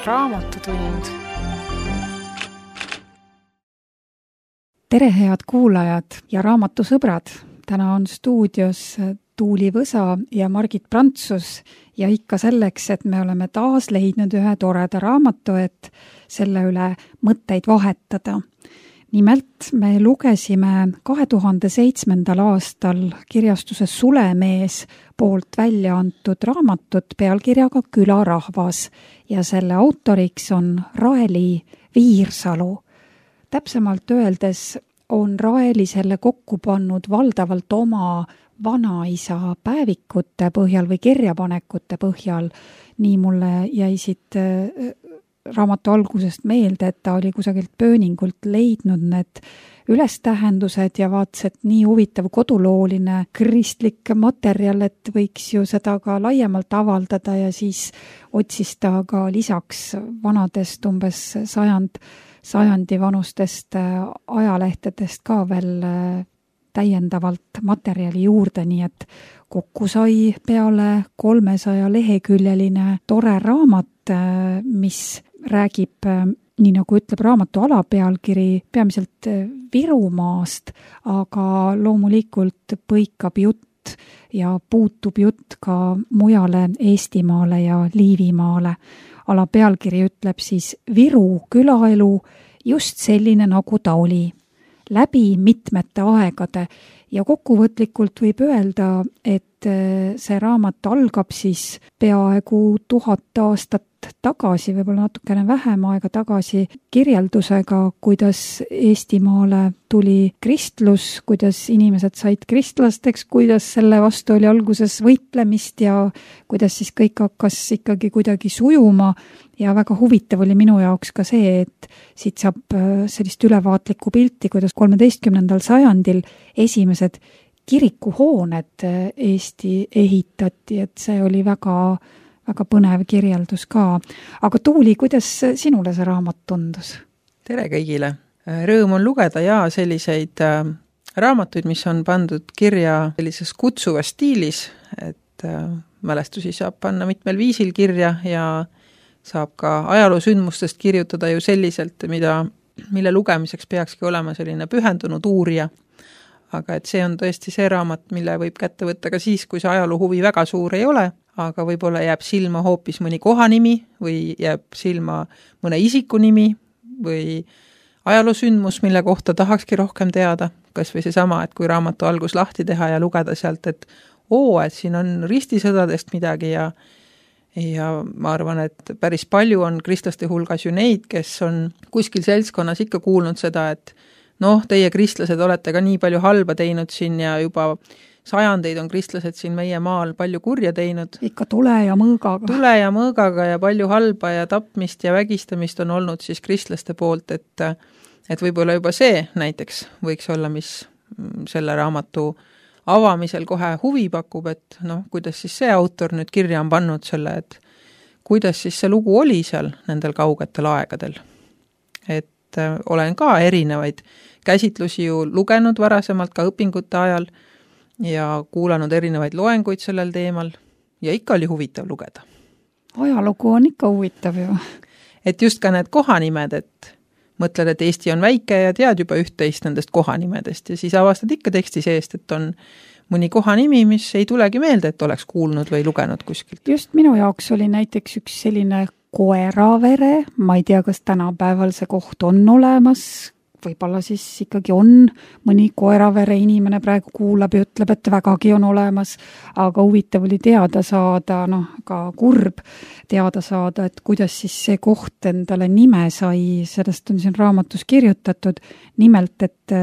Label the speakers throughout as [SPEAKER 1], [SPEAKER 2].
[SPEAKER 1] Raamatutund.
[SPEAKER 2] Tere, head kuulajad ja raamatusõbrad! Täna on stuudios Tuuli Võsa ja Margit Prantsus ja ikka selleks, et me oleme taas leidnud ühe toreda raamatu, et selle üle mõtteid vahetada. Nimelt me lugesime 2007. aastal kirjastuses Sulemees poolt välja antud raamatut pealkirjaga Külarahvas ja selle autoriks on Raeli Viirsalu. Täpsemalt öeldes on Raeli selle kokku pannud valdavalt oma vanaisa päevikute põhjal või kirjapanekute põhjal. Nii mulle jäi siit raamatu algusest meelde, et ta oli kusagilt pööningult leidnud need ülestähendused ja vaatas, et nii huvitav kodulooline kristlik materjal, et võiks ju seda ka laiemalt avaldada ja siis otsis ta ka lisaks vanadest umbes sajandi vanustest ajalehtedest ka veel täiendavalt materjali juurde, nii et kokku sai peale 300 leheküljeline tore raamat, mis räägib, nii nagu ütleb raamatu alapealkiri, peamiselt Virumaast, aga loomulikult põikab jutt ja puutub jutt ka mujale Eestimaale ja Liivimaale. Alapealkiri ütleb siis Viru külaelu just selline, nagu ta oli, läbi mitmete aegade ja kokkuvõtlikult võib öelda, et see raamat algab siis peaaegu 1000 aastat tagasi, võib-olla natukene vähem aega tagasi, kirjeldusega, kuidas Eestimaale tuli kristlus, kuidas inimesed said kristlasteks, kuidas selle vastu oli alguses võitlemist ja kuidas siis kõik hakkas ikkagi kuidagi sujuma. Ja väga huvitav oli minu jaoks ka see, et siit saab sellist ülevaatlikku pilti, kuidas 13. sajandil esimesed kirikuhooned Eesti ehitati, et see oli väga põnev kirjeldus ka. Aga Tuuli, kuidas sinule see raamat tundus?
[SPEAKER 3] Tere kõigile! Rõõm on lugeda ja selliseid raamatuid, mis on pandud kirja sellises kutsuvas stiilis, et mälestusi saab panna mitmel viisil kirja ja saab ka ajaloosündmustest kirjutada ju selliselt, mille lugemiseks peakski olema selline pühendunud uurija. Aga et see on tõesti see raamat, mille võib kätte võtta ka siis, kui see ajaloo huvi väga suur ei ole, aga võib-olla jääb silma hoopis mõni kohanimi või jääb silma mõne isiku nimi või ajaloosündmus, mille kohta tahakski rohkem teada. Kas või seesama, et kui raamatu algus lahti teha ja lugeda sealt, et siin on ristisõdadest midagi ja ma arvan, et päris palju on kristlaste hulgas ju neid, kes on kuskil seltskonnas ikka kuulnud seda, et teie kristlased olete ka nii palju halba teinud siin ja juba sajandeid on kristlased siin meie maal palju kurja teinud.
[SPEAKER 2] Ikka tule ja mõõgaga
[SPEAKER 3] ja palju halba ja tapmist ja vägistamist on olnud siis kristlaste poolt, et võib-olla juba see näiteks võiks olla, mis selle raamatu avamisel kohe huvi pakub, et kuidas siis see autor nüüd kirja on pannud selle, et kuidas siis see lugu oli seal nendel kaugetel aegadel. Et olen ka erinevaid käsitlusi ju lugenud varasemalt ka õpingute ajal ja kuulanud erinevaid loenguid sellel teemal ja ikka oli huvitav lugeda.
[SPEAKER 2] Ajalugu on ikka huvitav ju.
[SPEAKER 3] Et just ka need kohanimed, et mõtled, et Eesti on väike ja tead juba üht-teist nendest kohanimedest ja siis avastad ikka teksti seest, et on mõni kohanimi, mis ei tulegi meelde, et oleks kuulnud või lugenud kuskilt.
[SPEAKER 2] Just minu jaoks oli näiteks üks selline Koeravere, ma ei tea, kas tänapäeval see koht on olemas, võib-olla siis ikkagi on mõni Koeravere inimene praegu kuulab ja ütleb, et vägagi on olemas, aga huvitav oli teada saada, ka kurb teada saada, et kuidas siis see koht endale nime sai, sellest on siin raamatus kirjutatud, nimelt, et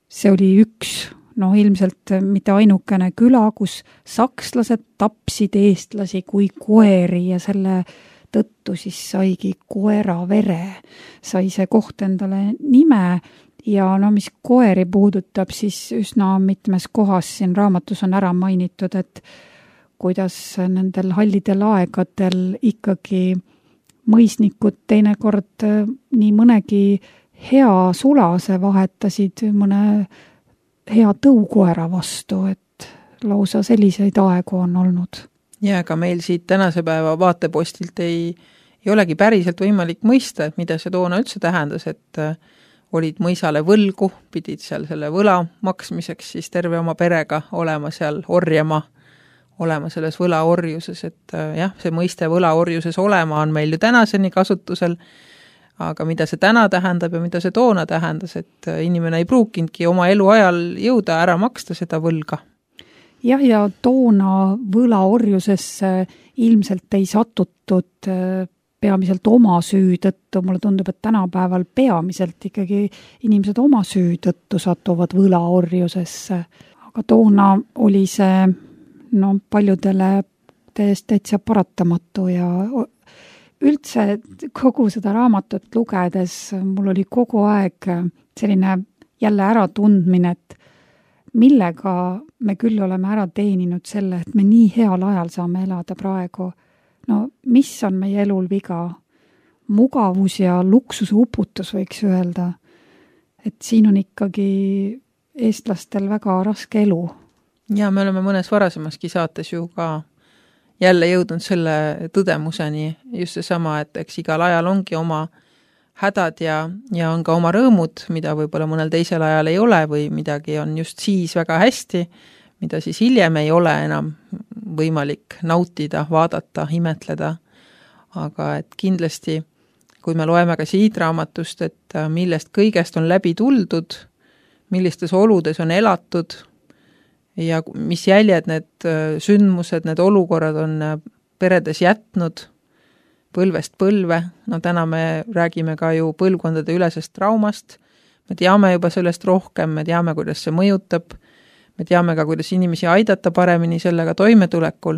[SPEAKER 2] see oli üks, ilmselt mitte ainukene küla, kus sakslased tapsid eestlasi kui koeri ja selle tõttu siis saigi Koeravere, sai see koht endale nime ja mis koeri puudutab, siis üsna mitmes kohas siin raamatus on ära mainitud, et kuidas nendel hallidel aegadel ikkagi mõisnikud teinekord nii mõnegi hea sulase vahetasid mõne hea tõukoera vastu, et lausa selliseid aegu on olnud.
[SPEAKER 3] Ja ka meil siit tänase päeva vaatepostilt ei ei olegi päriselt võimalik mõista, et mida see toona üldse tähendas, et olid mõisale võlgu, pidid seal selle võla maksmiseks siis terve oma perega olema seal orjama, olema selles võlaorjuses, et jah, see mõiste võlaorjuses olema on meil ju tänaseni kasutusel, aga mida see täna tähendab ja mida see toona tähendas, et inimene ei pruukinudki oma eluajal jõuda ära maksta seda võlga.
[SPEAKER 2] Jah, ja toona võlaorjusesse ilmselt ei satutud peamiselt oma süü tõttu, mulle tundub, et tänapäeval peamiselt ikkagi inimesed oma süü tõttu satuvad võlaorjusesse. Aga toona oli see paljudele täitsa paratamatu ja üldse kogu seda raamatut lugedes mul oli kogu aeg selline jälle äratundmine, et millega me küll oleme ära teeninud selle, et me nii heal ajal saame elada praegu. No mis on meie elul viga? Mugavus ja luksuse uputus võiks öelda. Et siin on ikkagi eestlastel väga raske elu.
[SPEAKER 3] Ja me oleme mõnes varasemaski saates ju ka jälle jõudnud selle tõdemuseni just seesama, et eks igal ajal ongi oma hädad ja on ka oma rõõmud, mida võib-olla mõnel teisel ajal ei ole või midagi on just siis väga hästi, mida siis hiljem ei ole enam võimalik nautida, vaadata, imetleda. Aga et kindlasti, kui me loeme ka siit raamatust, et millest kõigest on läbi tuldud, millistes oludes on elatud ja mis jäljed need sündmused, need olukorrad on peredes jätnud põlvest põlve. No täna me räägime ka ju põlvkondade ülesest traumast. Me teame juba sellest rohkem, me teame, kuidas see mõjutab. Me teame ka, kuidas inimesi aidata paremini sellega toimetulekul,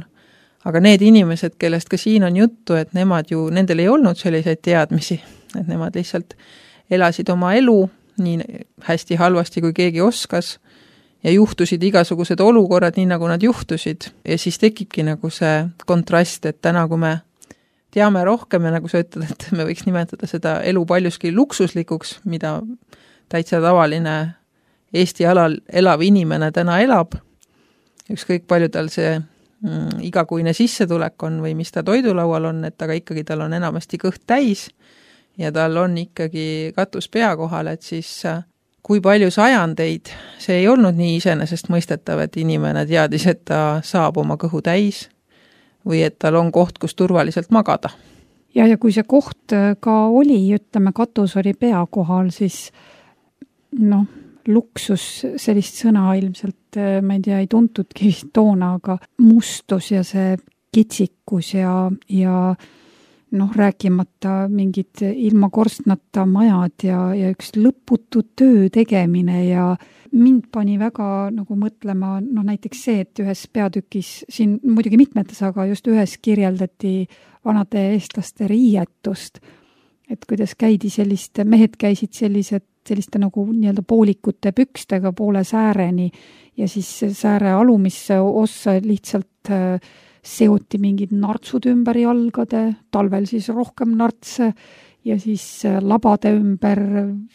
[SPEAKER 3] aga need inimesed, kellest ka siin on juttu, et nendel ei olnud selliseid teadmisi, et nemad lihtsalt elasid oma elu nii hästi halvasti, kui keegi oskas ja juhtusid igasugused olukorrad nii, nagu nad juhtusid. Ja siis tekibki nagu see kontrast, et täna, kui me teame rohkem ja nagu sa ütled, et me võiks nimetada seda elu paljuski luksuslikuks, mida täitsa tavaline Eesti alal elav inimene täna elab, ükskõik palju tal see igakuine sissetulek on või mis ta toidulaual on, et aga ikkagi tal on enamasti kõht täis ja tal on ikkagi katus pea kohal, et siis kui palju sajandeid see ei olnud nii iseenesest mõistetav, et inimene teadis, et ta saab oma kõhu täis või et tal on koht, kus turvaliselt magada.
[SPEAKER 2] Ja kui see koht ka oli, ütleme, katus oli pea kohal, siis luksus, sellist sõna ilmselt, ma ei tea, ei tuntudki toona, aga mustus ja see kitsikus ja rääkimata mingid ilma korstnata majad ja üks lõputu töö tegemine ja mind pani väga nagu mõtlema, näiteks see, et ühes peatükis, siin muidugi mitmetes, aga just ühes kirjeldati vanade eestlaste riietust, et kuidas mehed käisid selliste nagu nii-öelda poolikute pükstega poole sääreni ja siis sääre alumisse ossa lihtsalt seoti mingid nartsud ümber jalgade, talvel siis rohkem nartse ja siis labade ümber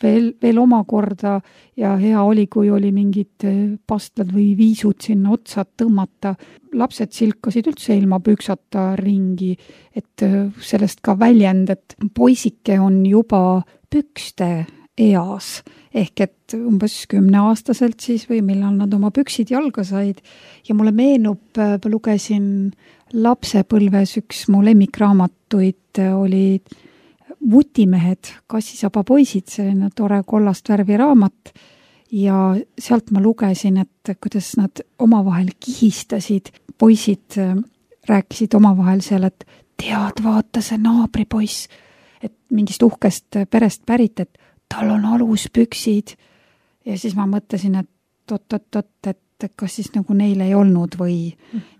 [SPEAKER 2] veel omakorda ja hea oli, kui oli mingid pastlad või viisud sinna otsad tõmmata. Lapsed silkasid üldse ilma püksata ringi, et sellest ka väljend, et poisike on juba pükste eas, ehk et umbes 10-aastaselt siis või millal nad oma püksid jalga said. Ja mulle meenub, lugesin lapsepõlves üks mu lemmikraamatuid oli Vutimehed, kassisaba poisid, selline tore kollast värvi raamat ja sealt ma lugesin, et kuidas nad omavahel kihistasid, poisid rääkisid omavahel seal, et tead, vaata see naabripoiss, et mingist uhkest perest pärit, et tal on aluspüksid ja siis ma mõtlesin, et et kas siis nagu neil ei olnud või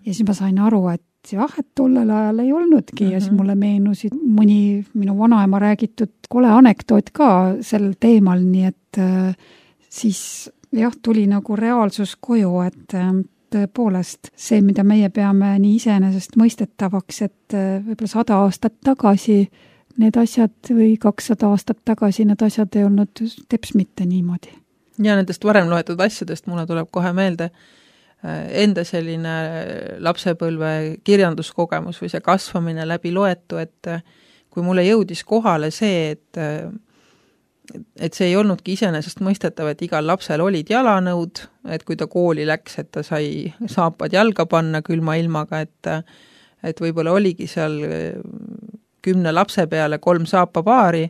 [SPEAKER 2] ja siis ma sain aru, et jah, et tollel ajal ei olnudki ja siis mulle meenusid mõni minu vanaema räägitud kole anekdoot ka sel teemal, nii et siis jah, tuli nagu reaalsus koju, et tõepoolest see, mida meie peame nii iseenesest mõistetavaks, et võib-olla 100 aastat tagasi need asjad või 200 aastat tagasi need asjad ei olnud teps mitte niimoodi.
[SPEAKER 3] Ja nendest varem loetud asjadest mulle tuleb kohe meelde enda selline lapsepõlve kirjanduskogemus või see kasvamine läbi loetu, et kui mulle jõudis kohale see, et see ei olnudki iseenesest mõistetav, et igal lapsel olid jalanõud, et kui ta kooli läks, et ta sai saapad jalga panna külma ilmaga, et võib-olla oligi seal 10 lapse peale 3 saapapaari,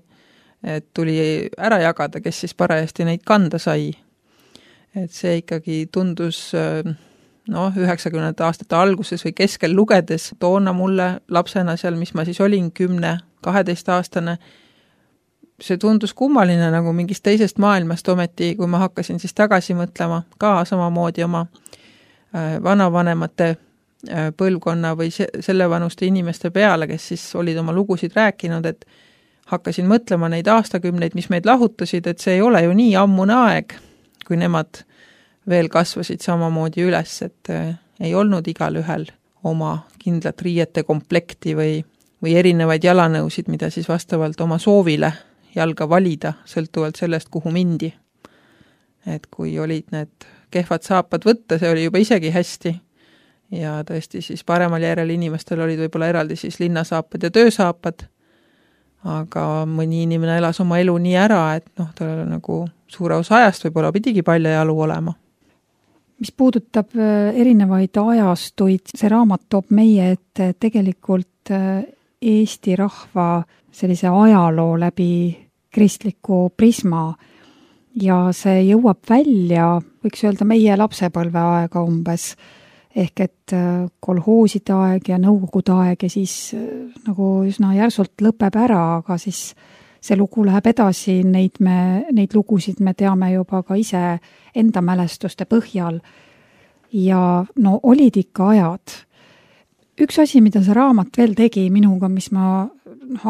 [SPEAKER 3] et tuli ära jagada, kes siis parajasti neid kanda sai. Et see ikkagi tundus 90. aastate alguses või keskel lugedes toona mulle lapsena seal, mis ma siis olin 10-12 aastane, see tundus kummaline nagu mingist teisest maailmast ometi, kui ma hakkasin siis tagasi mõtlema ka samamoodi oma vanavanemate põlvkonna või selle vanuste inimeste peale, kes siis olid oma lugusid rääkinud, et hakkasin mõtlema neid aastakümneid, mis meid lahutasid, et see ei ole ju nii ammune aeg, kui nemad veel kasvasid samamoodi üles, et ei olnud igal ühel oma kindlat riiete komplekti või erinevaid jalanõusid, mida siis vastavalt oma soovile jalga valida, sõltuvalt sellest, kuhu mindi. Et kui olid need kehvad saapad võtta, see oli juba isegi hästi. Ja tõesti siis paremal järel inimestel olid võib-olla eraldi siis linnasaapad ja töösaapad, aga mõni inimene elas oma elu nii ära, et tal nagu suure osa ajast võib-olla pidigi paljajalu olema.
[SPEAKER 2] Mis puudutab erinevaid ajastuid, see raamat toob meie, et tegelikult Eesti rahva sellise ajaloo läbi kristliku prisma ja see jõuab välja, võiks öelda meie lapsepõlve aega umbes, ehk et kolhooside aeg ja nõukogude aeg ja siis nagu üsna järsult lõpeb ära, aga siis see lugu läheb edasi, neid lugusid me teame juba ka ise enda mälestuste põhjal ja olid ikka ajad. Üks asi, mida see raamat veel tegi minuga, mis ma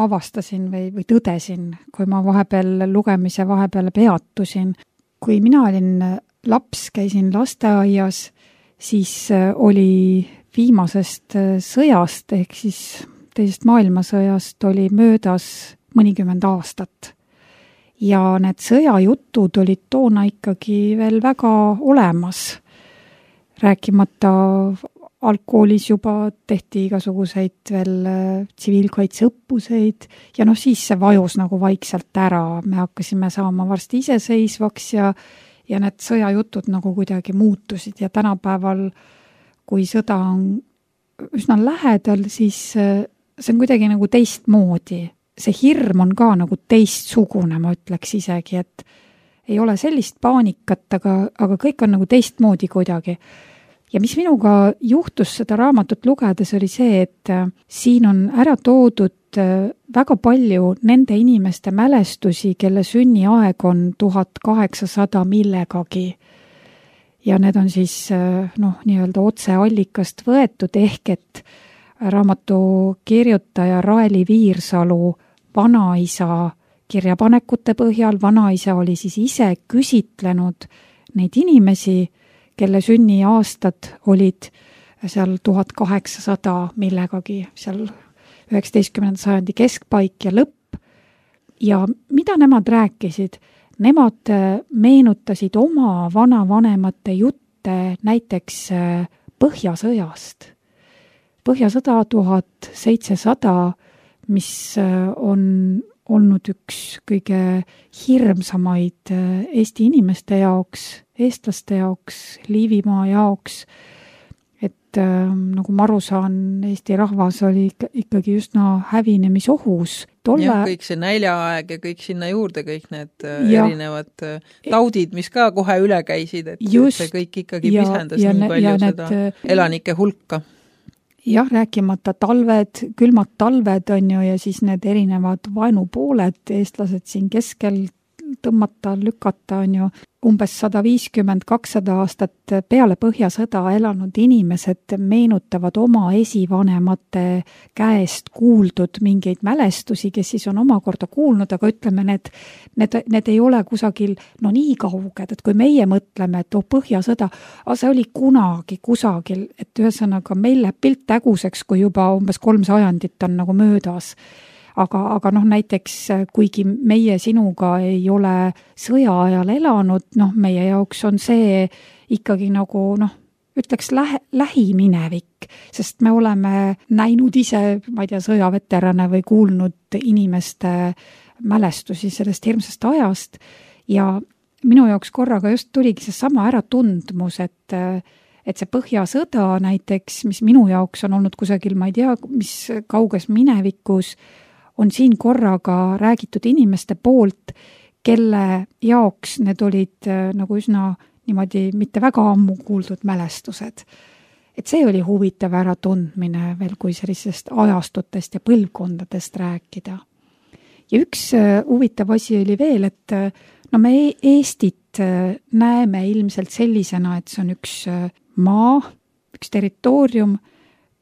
[SPEAKER 2] avastasin või tõdesin, kui ma lugemise vahepeal peatusin. Kui mina olin laps, käisin lasteaias, siis oli viimasest sõjast ehk siis teisest maailmasõjast oli möödas mõnikümmend aastat. Ja need sõjajutud olid toona ikkagi veel väga olemas. Rääkimata algkoolis juba tehti igasuguseid veel tsiviilkaitseõppuseid ja siis see vajus nagu vaikselt ära. Me hakkasime saama varsti iseseisvaks ja need sõjajutud nagu kuidagi muutusid ja tänapäeval, kui sõda on üsna lähedal, siis see on kuidagi nagu teistmoodi. See hirm on ka nagu teistsugune, ma ütleks isegi, et ei ole sellist paanikat, aga kõik on nagu teistmoodi kuidagi. Ja mis minuga juhtus seda raamatut lugedes oli see, et siin on ära toodud väga palju nende inimeste mälestusi, kelle sünniaeg on 1800 millegagi. Ja need on siis nii-öelda otseallikast võetud ehk et raamatu kirjutaja Raeli Viirsalu vanaisa kirjapanekute põhjal. Vanaisa oli siis ise küsitlenud neid inimesi, kelle sünniaastad olid seal 1800 millegagi, seal 19. sajandi keskpaik ja lõpp. Ja mida nemad rääkisid? Nemad meenutasid oma vanavanemate jutte näiteks Põhjasõjast. Põhjasõda 1700, mis on olnud üks kõige hirmsamaid Eesti inimeste jaoks, eestlaste jaoks, Liivimaa jaoks, et nagu ma aru saan, Eesti rahvas oli ikkagi üsna hävinemisohus.
[SPEAKER 3] Kõik see näljaaeg ja kõik sinna juurde, kõik need erinevad taudid, mis ka kohe üle käisid, et see kõik ikkagi pisendas nii palju seda elanike hulka.
[SPEAKER 2] Jah, rääkimata talved, külmad talved on ju ja siis need erinevad vaenupooled, eestlased siin keskel tõmmata, lükata on ju umbes 150-200 aastat peale Põhjasõda elanud inimesed meenutavad oma esivanemate käest kuuldud mingeid mälestusi, kes siis on omakorda kuulnud, aga ütleme, need ei ole kusagil nii kauged, et kui meie mõtleme, et Põhjasõda, see oli kunagi kusagil, et ühesõnaga meil läheb pilt äguseks, kui juba umbes 3 sajandit on nagu möödas. Aga näiteks, kuigi meie sinuga ei ole sõja ajal elanud, meie jaoks on see ikkagi nagu ütleks lähiminevik, sest me oleme näinud ise, ma ei tea, sõjaveterane või kuulnud inimeste mälestusi sellest hirmsast ajast ja minu jaoks korraga just tuligi see sama äratundmus, et see Põhjasõda näiteks, mis minu jaoks on olnud kusagil, ma ei tea, mis kauges minevikus, on siin korraga räägitud inimeste poolt, kelle jaoks need olid nagu üsna niimoodi mitte väga ammu kuuldud mälestused. Et see oli huvitav äratundmine veel, kui sellisest ajastutest ja põlvkondadest rääkida. Ja üks huvitav asi oli veel, et no me Eestit näeme ilmselt sellisena, et see on üks maa, üks territoorium,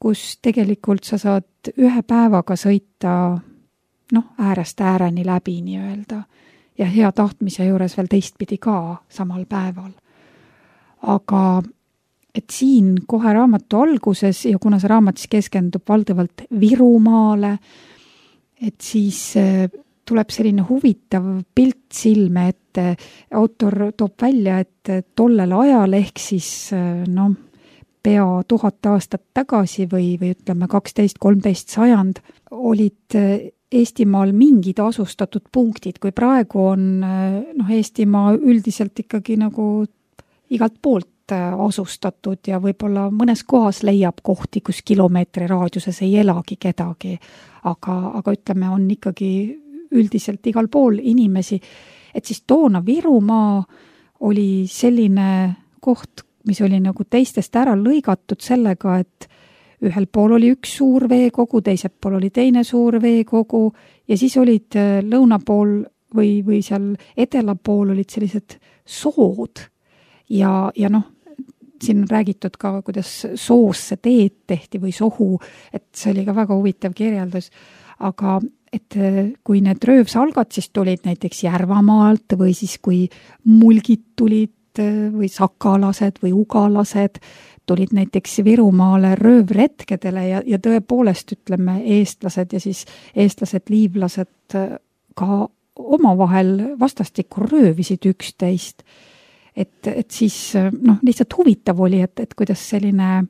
[SPEAKER 2] kus tegelikult sa saad ühe päevaga sõita äärest ääreni läbi nii-öelda ja hea tahtmise juures veel teistpidi ka samal päeval. Aga et siin kohe raamatu alguses ja kuna see raamat siis keskendub valdavalt Virumaale, et siis tuleb selline huvitav pilt silme, et autor toob välja, et tollel ajal ehk siis pea 1000 aastat tagasi või ütleme 12-13 sajand olid Eestimaal mingid asustatud punktid, kui praegu on Eestimaa üldiselt ikkagi nagu igalt poolt asustatud ja võib-olla mõnes kohas leiab kohti, kus kilomeetri raadiuses ei elagi kedagi, aga ütleme, on ikkagi üldiselt igal pool inimesi, et siis toona Virumaa oli selline koht, mis oli nagu teistest ära lõigatud sellega, et ühel pool oli üks suur veekogu, teisel pool oli teine suur veekogu ja siis olid lõuna pool või seal edela pool olid sellised sood ja siin on räägitud ka, kuidas soosse teed tehti või sohu, et see oli ka väga huvitav kirjeldus, aga et kui need röövsalgad siis tulid näiteks Järvamaalt või siis kui mulgid tulid või sakalased või ugalased, tulid näiteks Virumaale röövretkedele ja tõepoolest ütleme eestlased ja siis eestlased, liivlased ka omavahel vastastikku röövisid üksteist. Et siis lihtsalt huvitav oli, et kuidas selline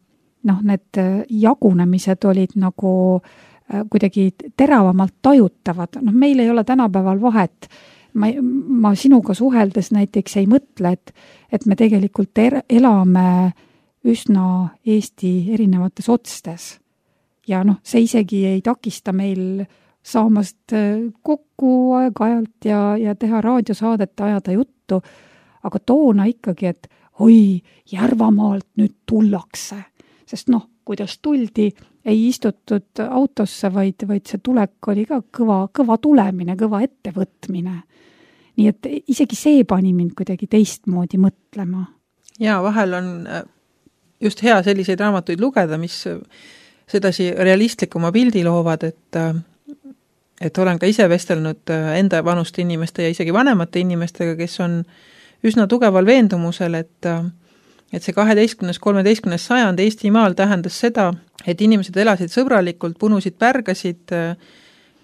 [SPEAKER 2] need jagunemised olid nagu kuidagi teravamalt tajutavad. Meil ei ole tänapäeval vahet. Ma sinuga suheldes näiteks ei mõtle, et me tegelikult elame üsna Eesti erinevates otstes. Ja see isegi ei takista meil saamast kokku aeg-ajalt ja teha raadiosaadet, ajada juttu, aga toona ikkagi, et oi, Järvamaalt nüüd tullakse. Sest kuidas tuldi, ei istutud autosse, vaid see tulek oli ka kõva tulemine, kõva ettevõtmine. Nii et isegi see pani mind kuidagi teistmoodi mõtlema.
[SPEAKER 3] Ja vahel on just hea selliseid raamatuid lugeda, mis sedasi realistlikuma pildi loovad, et olen ka ise vestelnud enda vanuste inimeste ja isegi vanemate inimestega, kes on üsna tugeval veendumusel, et see 12-13 sajand Eestimaal tähendas seda, et inimesed elasid sõbralikult, punusid pärgasid,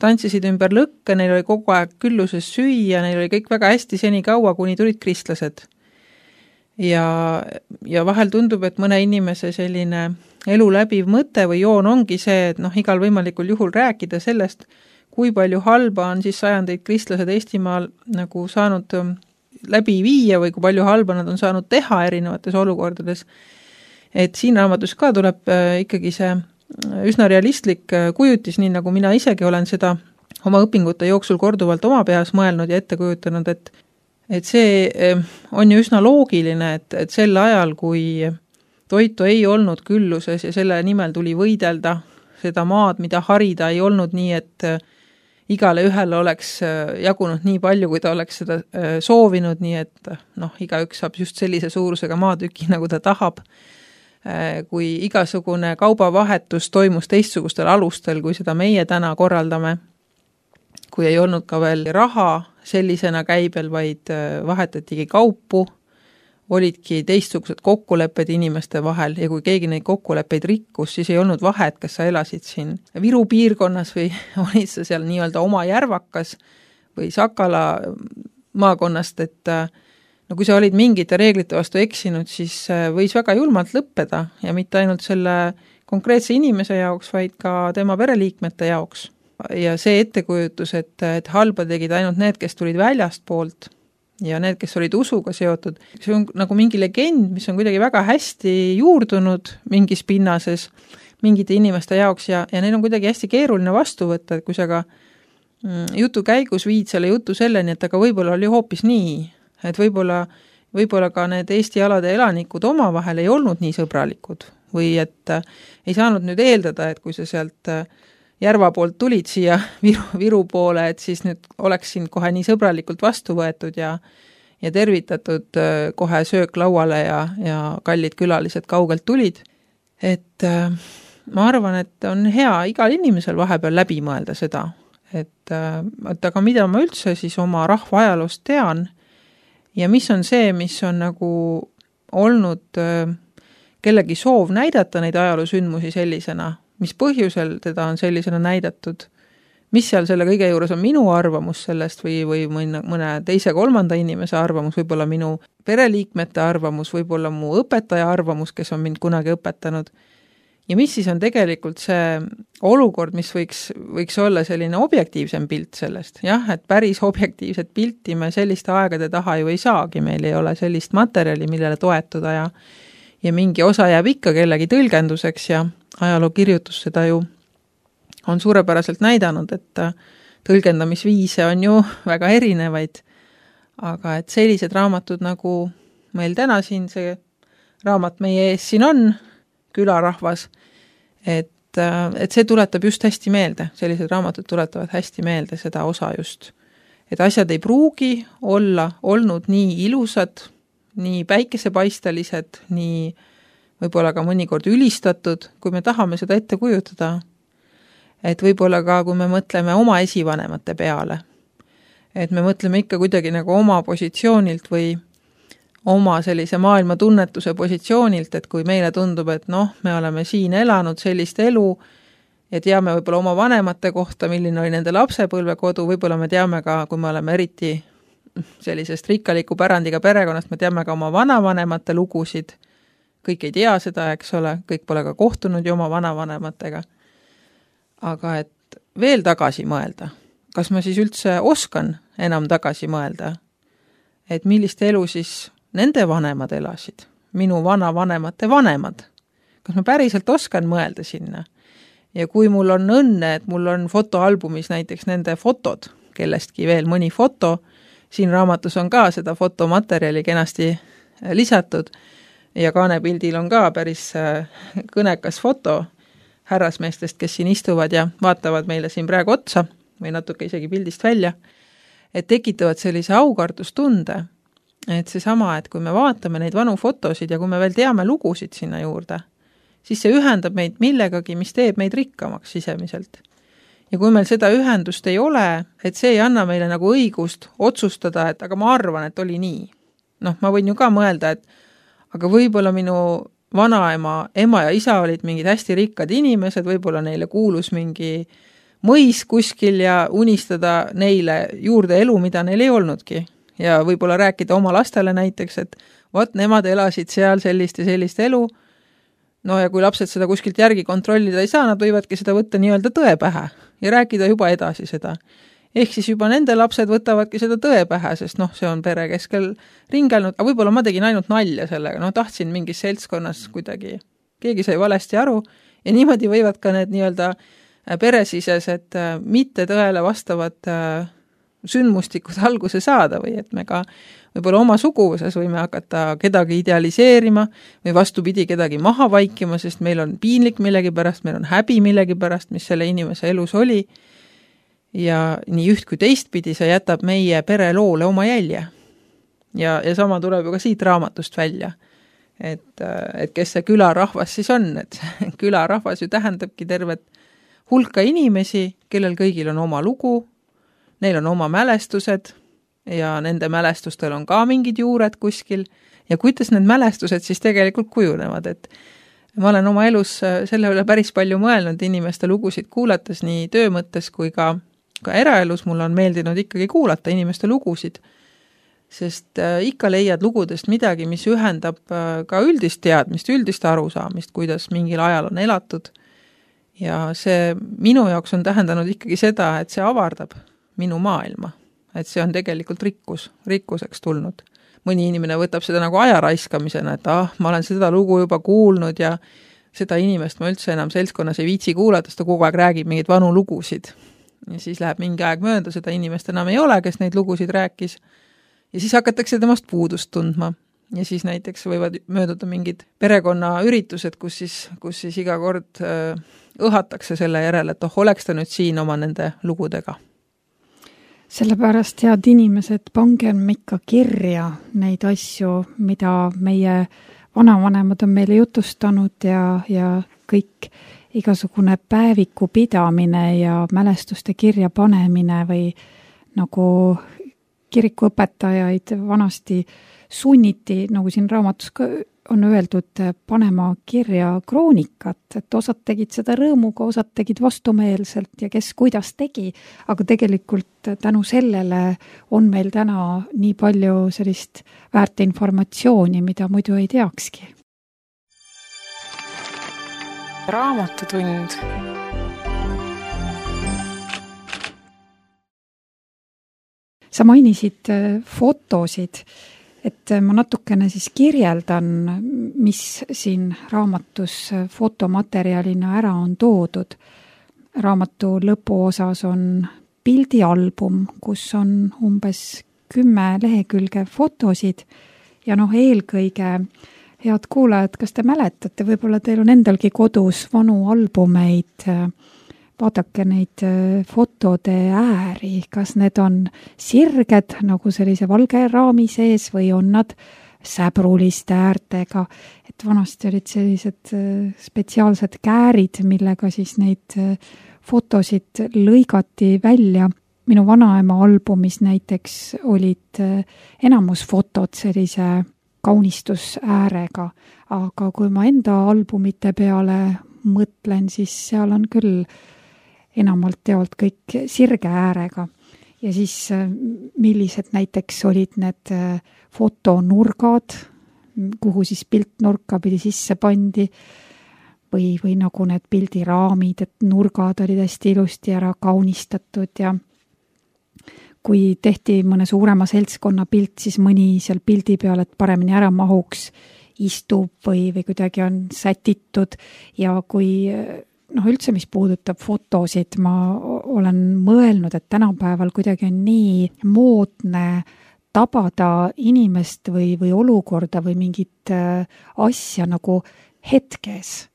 [SPEAKER 3] tantsisid ümber lõkke, neil oli kogu aeg külluses süüa, neil oli kõik väga hästi seni kaua, kuni tulid kristlased. Ja vahel tundub, et mõne inimese selline elu läbiv mõte või joon ongi see, et igal võimalikul juhul rääkida sellest, kui palju halba on siis sajandeid kristlased Eestimaal nagu saanud läbi viia või kui palju halba nad on saanud teha erinevates olukordades. Et siin raamatus ka tuleb ikkagi see üsna realistlik kujutis, nii nagu mina isegi olen seda oma õpingute jooksul korduvalt oma peas mõelnud ja ette kujutanud, et see on ju üsna loogiline, et sel ajal, kui toitu ei olnud külluses ja selle nimel tuli võidelda seda maad, mida harida, ei olnud nii, et igale ühele oleks jagunud nii palju, kui ta oleks seda soovinud, nii et igaüks saab just sellise suurusega maatüki, nagu ta tahab. Kui igasugune kaubavahetus toimus teistsugustel alustel, kui seda meie täna korraldame, kui ei olnud ka veel raha sellisena käibel, vaid vahetatigi kaupu, olidki teistsugused kokkulepped inimeste vahel ja kui keegi neid kokkuleppeid rikkus, siis ei olnud vahet, kas sa elasid siin Viru piirkonnas või olid sa seal nii-öelda oma järvakas või Sakala maakonnast, et no kui sa olid mingite reeglite vastu eksinud, siis võis väga julmalt lõppeda ja mitte ainult selle konkreetse inimese jaoks, vaid ka tema pereliikmete jaoks. Ja see ettekujutus, et halba tegid ainult need, kes tulid väljast poolt ja need, kes olid usuga seotud, see on nagu mingi legend, mis on kuidagi väga hästi juurdunud mingis pinnases mingite inimeste jaoks ja neil on kuidagi hästi keeruline vastu võtta, et kui sa ka jutu käigus viid selle jutu selleni, et aga võib-olla oli hoopis nii, et võib-olla ka need Eesti alade elanikud omavahel ei olnud nii sõbralikud või et ei saanud nüüd eeldada, et kui sa sealt Järva poolt tulid siia Viru poole, et siis nüüd oleks sind kohe nii sõbralikult vastu võetud ja tervitatud kohe söök lauale ja kallid külalised kaugelt tulid. Et ma arvan, et on hea igal inimesel vahepeal läbi mõelda seda, et aga mida ma üldse siis oma rahva ajaloost tean ja mis on see, mis on nagu olnud kellegi soov näidata neid ajaloosündmusi sellisena, mis põhjusel teda on sellisena näidatud, mis seal selle kõige juures on minu arvamus sellest või mõne teise kolmanda inimese arvamus, võib-olla minu pereliikmete arvamus, võib-olla mu õpetaja arvamus, kes on mind kunagi õpetanud. Ja mis siis on tegelikult see olukord, mis võiks olla selline objektiivsem pilt sellest. Jah, et päris objektiivset pilti me selliste aegade taha ju ei saagi, meil ei ole sellist materjali, millele toetuda ja mingi osa jääb ikka kellegi tõlgenduseks ja ajalookirjutus seda ju on suurepäraselt näidanud, et tõlgendamisviise on ju väga erinevaid, aga et sellised raamatud nagu meil täna siin, see raamat meie ees siin on, Külarahvas, et see tuletab just hästi meelde, sellised raamatud tuletavad hästi meelde seda osa just, et asjad ei pruugi olla olnud nii ilusad, nii päikesepaistelised, nii võib-olla ka mõnikord ülistatud, kui me tahame seda ette kujutada, et võib-olla ka, kui me mõtleme oma esivanemate peale, et me mõtleme ikka kuidagi nagu oma positsioonilt või oma sellise maailma tunnetuse positsioonilt, et kui meile tundub, et me oleme siin elanud sellist elu ja teame võib-olla oma vanemate kohta, milline oli nende lapsepõlvekodu, võib-olla me teame ka, kui me oleme eriti sellisest rikkaliku pärandiga perekonnast, me teame ka oma vanavanemate lugusid, kõik ei tea seda, eks ole, kõik pole ka kohtunud ju oma vanavanematega. Aga et veel tagasi mõelda, kas ma siis üldse oskan enam tagasi mõelda, et millist elu siis nende vanemad elasid, minu vanavanemate vanemad. Kas ma päriselt oskan mõelda sinna? Ja kui mul on õnne, et mul on fotoalbumis näiteks nende fotod, kellestki veel mõni foto, siin raamatus on ka seda fotomaterjali kenasti lisatud ja kaanepildil on ka päris kõnekas foto härrasmeestest, kes siin istuvad ja vaatavad meile siin praegu otsa või natuke isegi pildist välja, et tekitavad sellise aukardustunde, et seesama, et kui me vaatame neid vanu fotosid ja kui me veel teame lugusid sinna juurde, siis see ühendab meid millegagi, mis teeb meid rikkamaks sisemiselt. Ja kui meil seda ühendust ei ole, et see ei anna meile nagu õigust otsustada, et aga ma arvan, et oli nii. Ma võin ju ka mõelda, et aga võib-olla minu vanaema, ema ja isa olid mingid hästi rikkad inimesed, võib-olla neile kuulus mingi mõis kuskil ja unistada neile juurde elu, mida neil ei olnudki. Ja võib-olla rääkida oma lastele näiteks, et vot nemad elasid seal sellist ja sellist elu. Ja kui lapsed seda kuskilt järgi kontrollida ei saa, nad võivadki seda võtta nii-öelda tõe pähe ja rääkida juba edasi seda. Ehk siis juba nende lapsed võtavadki seda tõe pähe, sest see on pere keskel ringelnud, aga võib-olla ma tegin ainult nalja sellega, tahtsin mingis seltskonnas kuidagi, keegi sai valesti aru ja niimoodi võivad ka need nii-öelda peresisesed mitte tõele vastavad sündmustikud alguse saada või et me ka võib-olla oma suguvõses võime hakata kedagi idealiseerima või vastupidi kedagi maha vaikima, sest meil on piinlik millegi pärast, meil on häbi millegi pärast, mis selle inimese elus oli. Ja nii üht kui teistpidi see jätab meie pereloole oma jälje. Ja sama tuleb ju ka siit raamatust välja, et kes see külarahvas siis on, et külarahvas ju tähendabki tervet hulka inimesi, kellel kõigil on oma lugu, neil on oma mälestused ja nende mälestustel on ka mingid juured kuskil ja kuidas need mälestused siis tegelikult kujunevad, et ma olen oma elus selle üle päris palju mõelnud inimeste lugusid kuulates nii töö mõttes kui ka eraelus mul on meeldinud ikkagi kuulata inimeste lugusid sest ikka leiad lugudest midagi, mis ühendab ka üldist teadmist, üldist arusaamist, kuidas mingil ajal on elatud. Ja see minu jaoks on tähendanud ikkagi seda, et see avardab minu maailma, et see on tegelikult rikkuseks tulnud. Mõni inimene võtab seda nagu aja raiskamisena, et ma olen seda lugu juba kuulnud ja seda inimest ma üldse enam seltskonnas ei viitsi kuulata, sest ta kogu aeg räägib mingeid vanu lugusid. Ja siis läheb mingi aeg mööda, seda inimest enam ei ole, kes neid lugusid rääkis. Ja siis hakatakse temast puudust tundma. Ja siis näiteks võivad mööduda mingid perekonna üritused, kus siis iga kord õhatakse selle järele, et oleks ta nüüd siin oma nende lugudega.
[SPEAKER 2] Sellepärast, head inimesed, pangem ikka kirja neid asju, mida meie vanavanemad on meile jutustanud ja kõik igasugune päeviku pidamine ja mälestuste kirja panemine või nagu kirikuõpetajaid vanasti sunniti, nagu siin raamatus ka on öeldud, panema kirja kroonikat, et osad tegid seda rõõmuga, osad tegid vastumeelselt ja kes kuidas tegi, aga tegelikult tänu sellele on meil täna nii palju sellist väärt informatsiooni, mida muidu ei teakski.
[SPEAKER 1] Raamatutund.
[SPEAKER 2] Sa mainisid fotosid, et ma natukene siis kirjeldan, mis siin raamatus fotomaterjalina ära on toodud. Raamatu lõpuosas on pildialbum, kus on umbes 10 lehekülge fotosid ja eelkõige, head kuulajad, kas te mäletate, võib-olla teil on endalgi kodus vanu albumeid, vaadake neid fotode ääri, kas need on sirged nagu sellise valge raami sees või on nad säbruliste äärtega, et vanasti olid sellised spetsiaalsed käärid, millega siis neid fotosid lõigati välja. Minu vanaema albumis näiteks olid enamus fotod sellise kaunistusäärega, aga kui ma enda albumite peale mõtlen, siis seal on küll enamalt teolt kõik sirge äärega ja siis millised näiteks olid need fotonurgad, kuhu siis piltnurka pidi sisse pandi või nagu need pildiraamid, et nurgad olid hästi ilusti ära kaunistatud ja kui tehti mõne suurema seltskonna pilt, siis mõni seal pildi peal, et paremini ära mahuks, istub või kuidagi on sätitud ja kui üldse, mis puudutab fotosid, ma olen mõelnud, et tänapäeval kuidagi on nii moodne tabada inimest või olukorda või mingit asja nagu hetkes.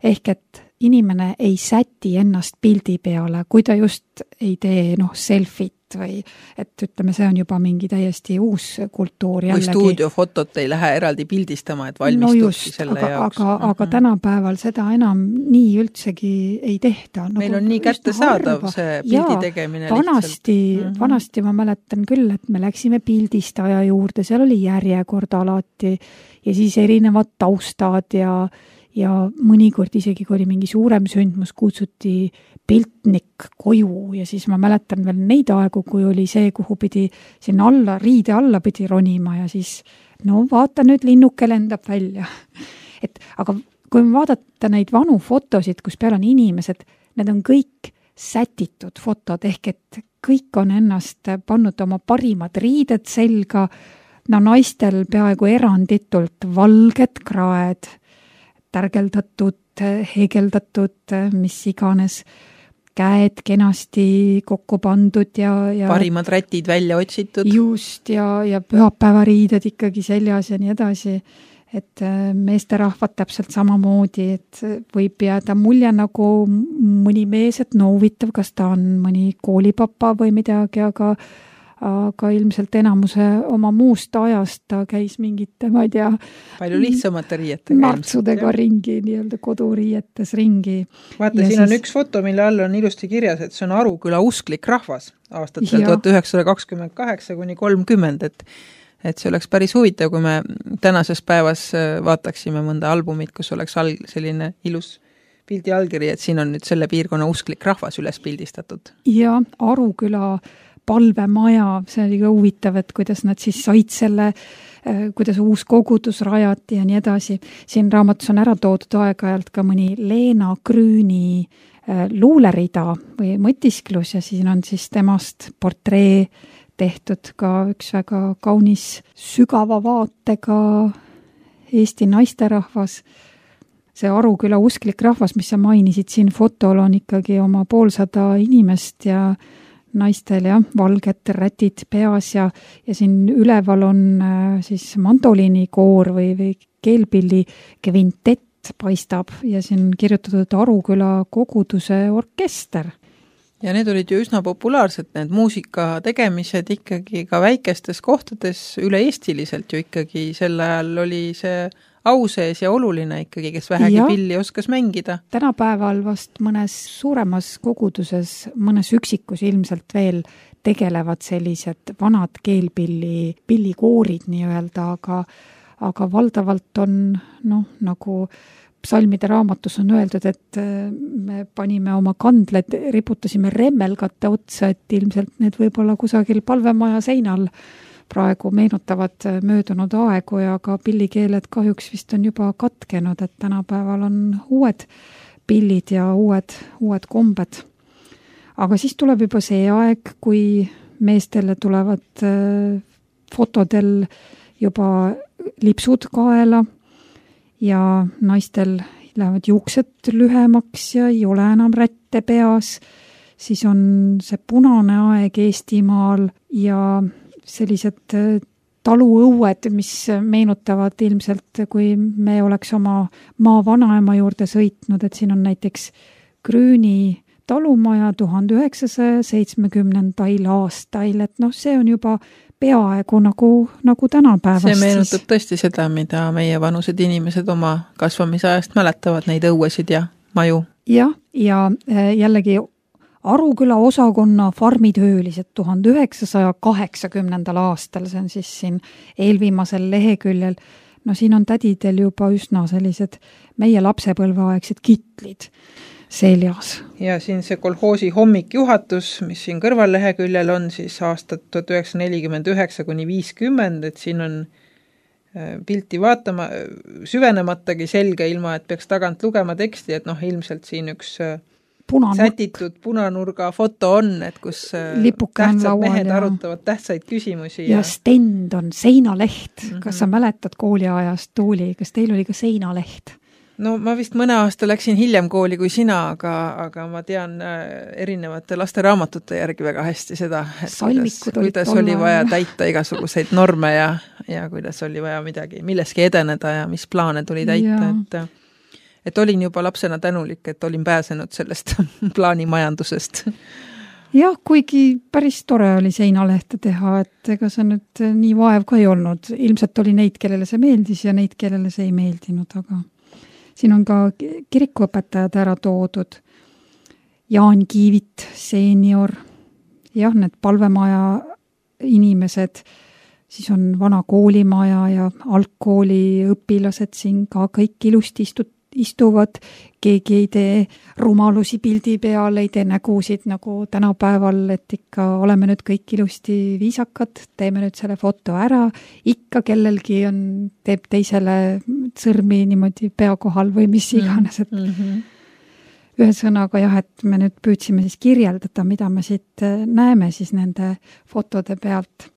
[SPEAKER 2] Ehk et inimene ei säti ennast pildi peale, kui ta just ei tee selfit või et ütleme, see on juba mingi täiesti uus kultuur jällegi.
[SPEAKER 3] Või stuudiofotot ei lähe eraldi pildistama, et valmistubki selle jaoks.
[SPEAKER 2] Aga tänapäeval seda enam nii üldsegi ei tehta.
[SPEAKER 3] Meil on nii kättesaadav see pildi tegemine lihtsalt.
[SPEAKER 2] Vanasti ma mäletan küll, et me läksime pildistaja juurde, seal oli järjekord alati ja siis erinevad taustad ja mõnikord isegi, kui oli mingi suurem sündmus, kutsuti piltnik koju ja siis ma mäletan veel neid aegu, kui oli see, kuhu pidi sinna alla, riide alla pidi ronima ja siis vaata nüüd linnuke lendab välja. Aga kui vaadata neid vanu fotosid, kus peal on inimesed, need on kõik sätitud fotod, ehk et kõik on ennast pannud oma parimad riided selga, naistel peaaegu eranditult valged kraed, tärgeldatud, heegeldatud, mis iganes, käed kenasti kokku pandud ja
[SPEAKER 3] parimad rätid välja otsitud.
[SPEAKER 2] Just, ja pühapäevariided ikkagi seljas ja nii edasi. Et meesterahvad täpselt samamoodi, et võib jääda mulje nagu mõni mees, et huvitav, kas ta on mõni koolipapa või midagi, aga ilmselt enamuse oma muust ajast ta käis mingite, ma ei tea,
[SPEAKER 3] palju lihtsamate riietega.
[SPEAKER 2] Martsudega ringi, nii-öelda koduriietes ringi.
[SPEAKER 3] Vaata, siin on üks foto, mille all on ilusti kirjas, et see on Aruküla usklik rahvas aastatel 1928 kuni 30, et see oleks päris huvitav, kui me tänases päevas vaataksime mõnda albumit, kus oleks selline ilus pildi allkiri, et siin on nüüd selle piirkonna usklik rahvas üles pildistatud.
[SPEAKER 2] Ja Aruküla palvemaja, see oli ka huvitav, et kuidas nad siis said selle, kuidas uus kogudus rajati ja nii edasi. Siin raamatus on ära toodud aeg-ajalt ka mõni Leena Grüni luulerida või mõtisklus ja siin on siis temast portree tehtud ka üks väga kaunis sügava vaatega Eesti naisterahvas. See Aruküla usklik rahvas, mis sa mainisid, siin fotol on ikkagi oma 500 inimest ja naistel valged rätid peas ja siin üleval on siis mandoliinikoor või keelpilli kvintett paistab ja siin kirjutatud Aruküla koguduse orkester.
[SPEAKER 3] Ja need olid ju üsna populaarsed, need muusika tegemised ikkagi ka väikestes kohtades üle-eestiliselt ju ikkagi sel ajal oli see au sees ja oluline ikkagi, kes vähegi pilli oskas mängida.
[SPEAKER 2] Tänapäeval vast mõnes suuremas koguduses, mõnes üksikus ilmselt veel tegelevad sellised vanad pillikoorid nii-öelda, aga valdavalt on nagu psalmide raamatus on öeldud, et me panime oma kandled, riputasime remmelgate otsa, et ilmselt need võib-olla kusagil palvemaja seinal praegu meenutavad möödunud aegu ja ka pillikeeled kahjuks vist on juba katkenud, et tänapäeval on uued pillid ja uued kombed. Aga siis tuleb juba see aeg, kui meestele tulevad fotodel juba lipsud kaela ja naistel lähevad juuksed lühemaks ja ei ole enam rätte peas, siis on see punane aeg Eestimaal ja sellised taluõued, mis meenutavad ilmselt, kui me oleks oma maa vanaema juurde sõitnud, et siin on näiteks Grüni talumaja 1970. aastail, et see on juba peaaegu nagu tänapäevast.
[SPEAKER 3] See meenutab tõesti seda, mida meie vanused inimesed oma kasvamisajast mäletavad, neid õuesid ja maju.
[SPEAKER 2] Ja jällegi Aruküla osakonna farmitöölised 1980. aastal, see on siis siin eelviimasel leheküljel. Siin on tädidel juba üsna sellised meie lapsepõlveaegsed kitlid seljas.
[SPEAKER 3] Ja siin see kolhoosi hommikjuhatus, mis siin kõrvalleheküljel on siis aastat 1949–50, et siin on pilti vaatama, süvenematagi selge, ilma et peaks tagant lugema teksti, et ilmselt siin üks sätitud punanurga foto on, et kus tähtsad mehed arutavad tähtsaid küsimusi.
[SPEAKER 2] Ja stend on seinaleht. Kas sa mäletad kooliajast, Tuuli, kas teil oli ka seinaleht?
[SPEAKER 3] No ma vist mõne aasta läksin hiljem kooli kui sina, aga ma tean erinevate lasteraamatute järgi väga hästi seda, et kuidas oli vaja täita igasuguseid norme ja kuidas oli vaja milleski edeneda ja mis plaane tuli täita, et olin juba lapsena tänulik, et olin pääsenud sellest plaanimajandusest.
[SPEAKER 2] Jah, kuigi päris tore oli seinalehte teha, et ega see nüüd nii vaev ka ei olnud. Ilmselt oli neid, kellele see meeldis ja neid, kellele see ei meeldinud, aga siin on ka kirikuõpetajad ära toodud. Jaan Kiivit, seenior, need palvemaja inimesed, siis on vana koolimaja ja algkooli õpilased siin ka kõik ilusti istuvad, keegi ei tee rumalusi pildi peal, ei tee nägusid nagu tänapäeval, et ikka oleme nüüd kõik ilusti viisakad, teeme nüüd selle foto ära, ikka kellelgi teeb teisele sõrmi niimoodi pea kohal või mis iganes, et ühesõnaga et me nüüd püüdsime siis kirjeldada, mida me siit näeme siis nende fotode pealt.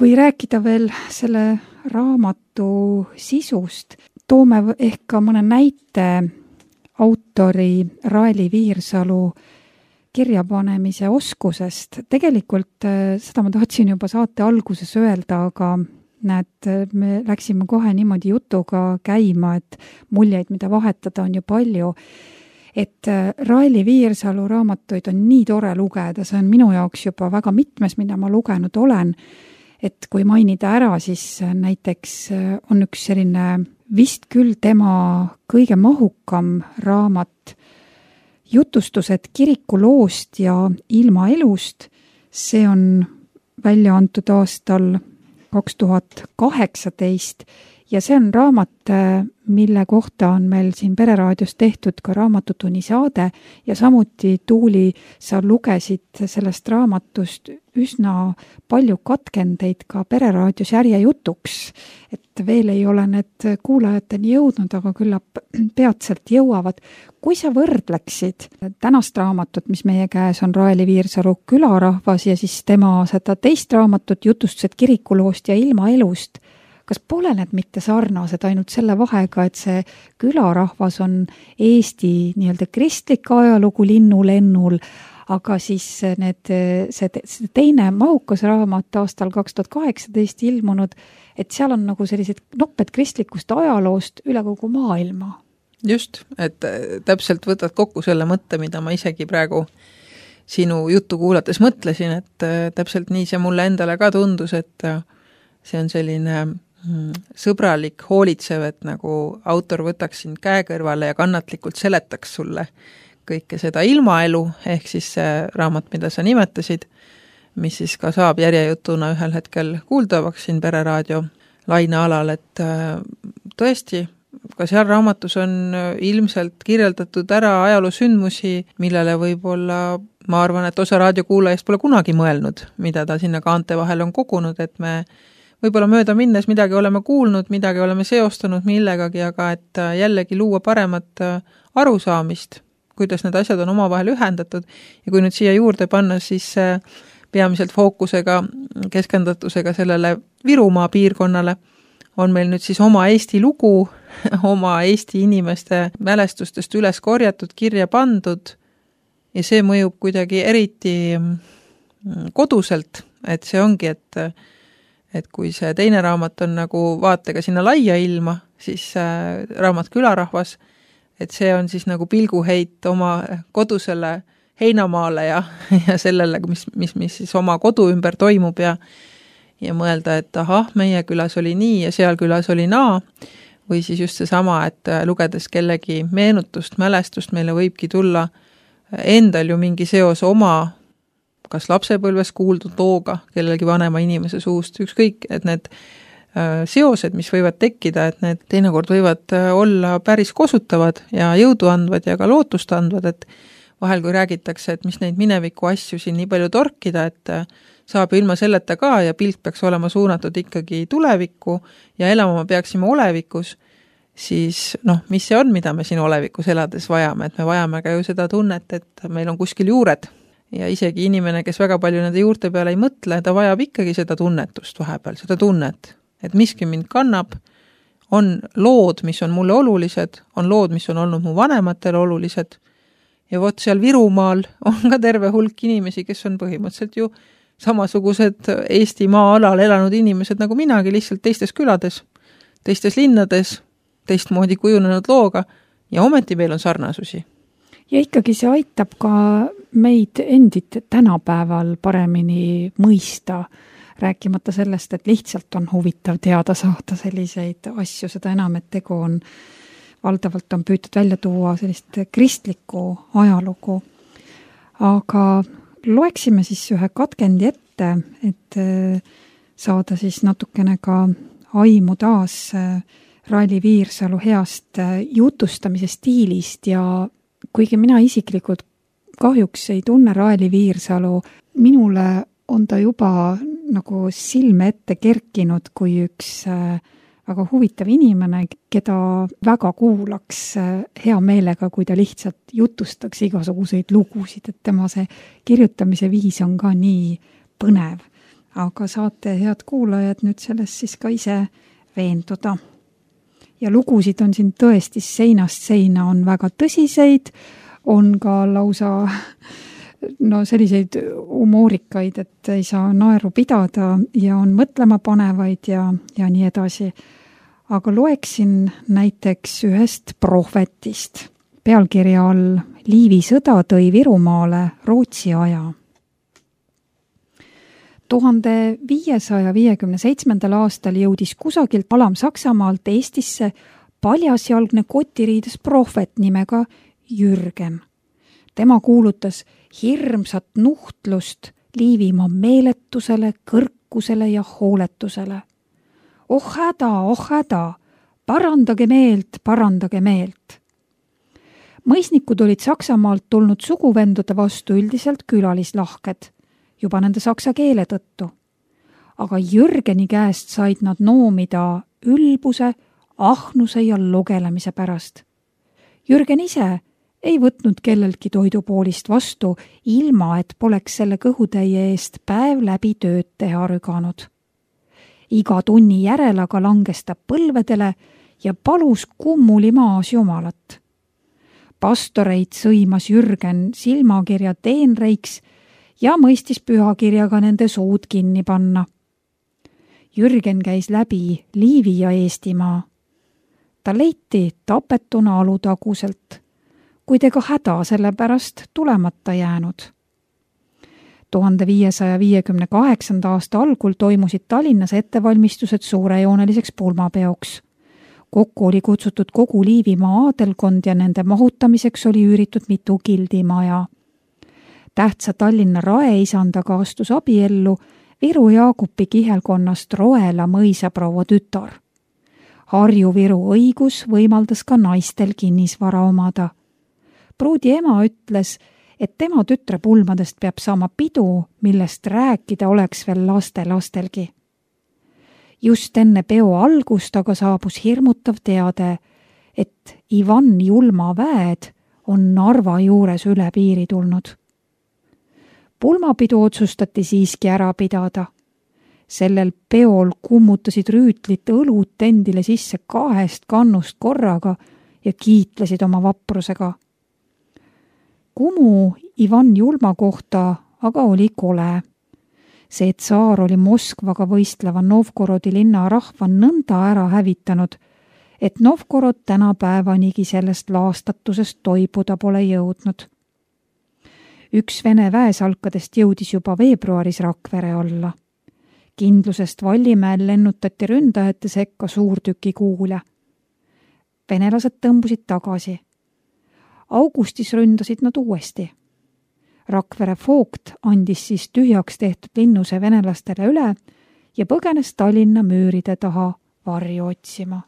[SPEAKER 2] Kui rääkida veel selle raamatu sisust, toome ehk ka mõne näite autori Raeli Viirsalu kirjapanemise oskusest. Tegelikult seda ma tahtsin juba saate alguses öelda, aga näed, me läksime kohe niimoodi jutuga käima, et muljeid, mida vahetada, on ju palju. Et Raeli Viirsalu raamatuid on nii tore lugeda, see on minu jaoks juba väga mitmes, mida ma lugenud olen. Et kui mainida ära, siis näiteks on üks selline vist küll tema kõige mahukam raamat Jutustused kirikuloost ja ilmaelust. See on välja antud aastal 2018 ja see on raamat, mille kohta on meil siin Pereraadios tehtud ka raamatutunni saade ja samuti Tuuli, sa lugesid sellest raamatust üsna palju katkendeid ka Pereraadios järjejutuks, et veel ei ole need kuulajateni jõudnud, aga küllap peatselt jõuavad. Kui sa võrdleksid tänast raamatut, mis meie käes on Raeli Viirsalu Külarahvas ja siis tema seda teist raamatut Jutustused kirikuloost ja ilmaelust, kas pole need mitte sarnased ainult selle vahega, et see Külarahvas on Eesti nii-öelda kristlik ajalugu linnulennul, aga siis see teine mahukas raamat aastal 2018 ilmunud, et seal on nagu sellised nopped kristlikust ajaloost üle kogu maailma.
[SPEAKER 3] Just, et täpselt võtad kokku selle mõtte, mida ma isegi praegu sinu juttu kuulates mõtlesin, et täpselt nii see mulle endale ka tundus, et see on selline sõbralik, hoolitsev, et nagu autor võtaks sind käe kõrvale ja kannatlikult seletaks sulle kõike seda ilmaelu, ehk siis see raamat, mida sa nimetasid, mis siis ka saab järjejutuna ühel hetkel kuuldavaks siin Pereraadio lainealal, et tõesti, ka seal raamatus on ilmselt kirjeldatud ära ajaloosündmusi, millele võib-olla, ma arvan, et osa raadiokuulajast pole kunagi mõelnud, mida ta sinna kaante vahel on kogunud, et me võib-olla mööda minnes midagi oleme kuulnud, midagi oleme seostanud millegagi, aga et jällegi luua paremat arusaamist, kuidas need asjad on omavahel ühendatud ja kui nüüd siia juurde panna, siis peamiselt fookusega, keskendatusega sellele Virumaa piirkonnale on meil nüüd siis oma Eesti lugu, oma Eesti inimeste mälestustest üles korjatud, kirja pandud ja see mõjub kuidagi eriti koduselt, et see ongi, et kui see teine raamat on nagu vaatega sinna laia ilma, siis raamat Külarahvas, et see on siis nagu pilguheit oma kodusele heinamaale ja sellele, mis siis oma kodu ümber toimub ja mõelda, et ahah, meie külas oli nii ja seal külas oli naa, või siis just seesama, et lugedes kellegi meenutust, mälestust, meile võibki tulla endal ju mingi seos oma kas lapsepõlves kuuldud looga kellelgi vanema inimese suust, ükskõik, et need seosed, mis võivad tekkida, et need teinekord võivad olla päris kosutavad ja jõudu andvad ja ka lootust andvad, et vahel kui räägitakse, et mis neid mineviku asju siin nii palju torkida, et saab ilma selleta ka ja pilk peaks olema suunatud ikkagi tulevikku ja elama peaksime olevikus, siis mis see on, mida me siin olevikus elades vajame, et me vajame ka ju seda tunnet, et meil on kuskil juured. Ja isegi inimene, kes väga palju nende juurte peale ei mõtle, ta vajab ikkagi seda tunnetust vahepeal, seda tunnet, et miski mind kannab, on lood, mis on mulle olulised, on lood, mis on olnud mu vanematele olulised ja vot seal Virumaal on ka terve hulk inimesi, kes on põhimõtteliselt ju samasugused Eesti maa-alal elanud inimesed nagu minagi, lihtsalt teistes külades, teistes linnades, teistmoodi kujunenud looga ja ometi meil on sarnasusi.
[SPEAKER 2] Ja ikkagi see aitab ka meid endid tänapäeval paremini mõista, rääkimata sellest, et lihtsalt on huvitav teada saada selliseid asju, seda enam, et tegu on, valdavalt on püütud välja tuua sellist kristlikku ajalugu. Aga loeksime siis ühe katkendi ette, et saada siis natukene ka aimu taas Raeli Viirsalu heast jutustamise stiilist ja kuigi mina isiklikult kahjuks ei tunne Raeli Viirsalu, minule on ta juba nagu silme ette kerkinud kui üks väga huvitav inimene, keda väga kuulaks hea meelega, kui ta lihtsalt jutustaks igasuguseid lugusid, et tema see kirjutamise viis on ka nii põnev. aga saate, head kuulajad, nüüd sellest siis ka ise veenduda. Ja lugusid on siin tõesti seinast seina, on väga tõsiseid, on ka lausa selliseid humoorikaid, et ei saa naeru pidada ja on mõtlema panevaid ja nii edasi. Aga loeksin näiteks ühest prohvetist. Pealkirja all Liivi sõda tõi Virumaale Rootsi aja. 1557. aastal jõudis kusagilt Alam-Saksamaalt Eestisse paljasjalgne kotiriides prohvet nimega Jürgen. Tema kuulutas hirmsat nuhtlust Liivimaa meeletusele, kõrkusele ja hooletusele. Oh häda, parandage meelt. Mõisnikud olid Saksamaalt tulnud suguvendude vastu üldiselt külalislahked, juba nende saksa keele tõttu. Aga Jürgeni käest said nad noomida ülbuse, ahnuse ja lugelemise pärast. Jürgen ise ei võtnud kelleltki toidupoolist vastu, ilma et poleks selle kõhutäie eest päev läbi tööd teha rüganud. Iga tunni järel aga langes ta põlvedele ja palus kummuli maas jumalat. Pastoreid sõimas Jürgen silmakirja teenreiks ja mõistis pühakirjaga nende suud kinni panna. Jürgen käis läbi Liivi ja Eestimaa. Ta leiti tapetuna Alutaguselt, kuid ega häda selle pärast tulemata jäänud. 1558. aasta algul toimusid Tallinnas ettevalmistused suurejooneliseks pulmapeoks. Kokku oli kutsutud kogu Liivimaa aadelkond ja nende mahutamiseks oli üüritud mitu gildimaja. Tähtsa Tallinna raeisandaga astus abiellu Viru Jaagupi kihelkonnast Roela mõisaproua tütar. Harju-Viru õigus võimaldas ka naistel kinnisvara omada. Pruudi ema ütles, et tema tütre pulmadest peab saama pidu, millest rääkida oleks veel lastelgi. Just enne peo algust aga saabus hirmutav teade, et Ivan Julma väed on Narva juures üle piiri tulnud. Pulmapidu otsustati siiski ära pidada. Sellel peol kummutasid rüütlit õlut endile sisse 2 kannust korraga ja kiitlesid oma vaprusega. Kumu Ivan Julma kohta aga oli kole. See tsaar oli Moskvaga võistleva Novgorodi linna rahva nõnda ära hävitanud, et Novgorod tänapäevanigi sellest laastatusest toibuda pole jõudnud. Üks Vene väesalkadest jõudis juba veebruaris Rakvere alla. Kindlusest Vallimäel lennutati ründajate sekka suurtüki kuule. Venelased tõmbusid tagasi. Augustis ründasid nad uuesti. Rakvere Vogt andis siis tühjaks tehtud linnuse venelastele üle ja põgenes Tallinna müüride taha varju otsima.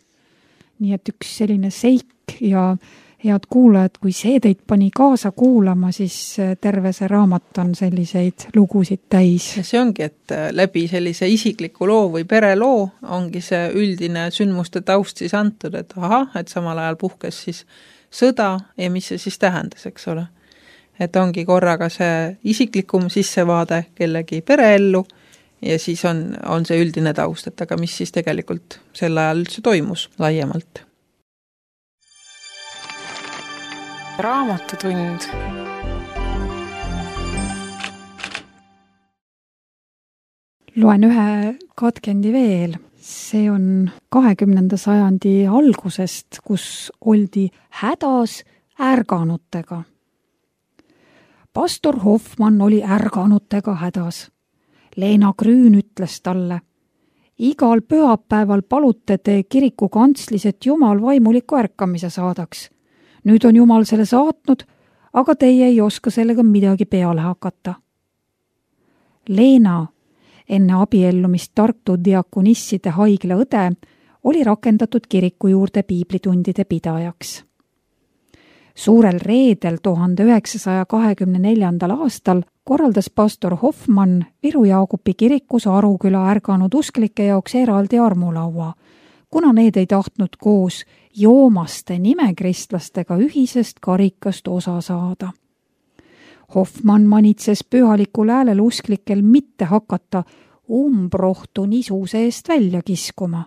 [SPEAKER 2] Nii et üks selline seik ja head kuulajad, kui see teid pani kaasa kuulama, siis terve see raamat on selliseid lugusid täis.
[SPEAKER 3] Ja see ongi, et läbi sellise isikliku loo või pereloo ongi see üldine sündmuste taust siis antud, et et samal ajal puhkes siis sõda ja mis see siis tähendas, eks ole. Et ongi korraga see isiklikum sissevaade kellegi pereellu ja siis on see üldine taust, et aga mis siis tegelikult sel ajal üldse toimus laiemalt.
[SPEAKER 1] Raamatutund.
[SPEAKER 2] Loen ühe katkendi veel. See on 20. sajandi algusest, kus oldi hädas ärganutega. Pastor Hoffmann oli ärganutega hädas. Leena Grün ütles talle, igal pühapäeval palute te kiriku kantslis, et Jumal vaimuliku ärkamise saadaks. Nüüd on Jumal selle saatnud, aga teie ei oska sellega midagi peale hakata. Leena, enne abiellumist Tartu diakonisside haigla õde, oli rakendatud kiriku juurde piiblitundide pidajaks. Suurel reedel 1924. aastal korraldas pastor Hoffmann Viru Jaagupi kirikus Aruküla ärganud usklike jaoks eraldi armulaua, kuna need ei tahtnud koos joomaste nimekristlastega ühisest karikast osa saada. Hoffmann manitses pühalikul häälel usklikel mitte hakata umbrohtu nisu seest välja kiskuma.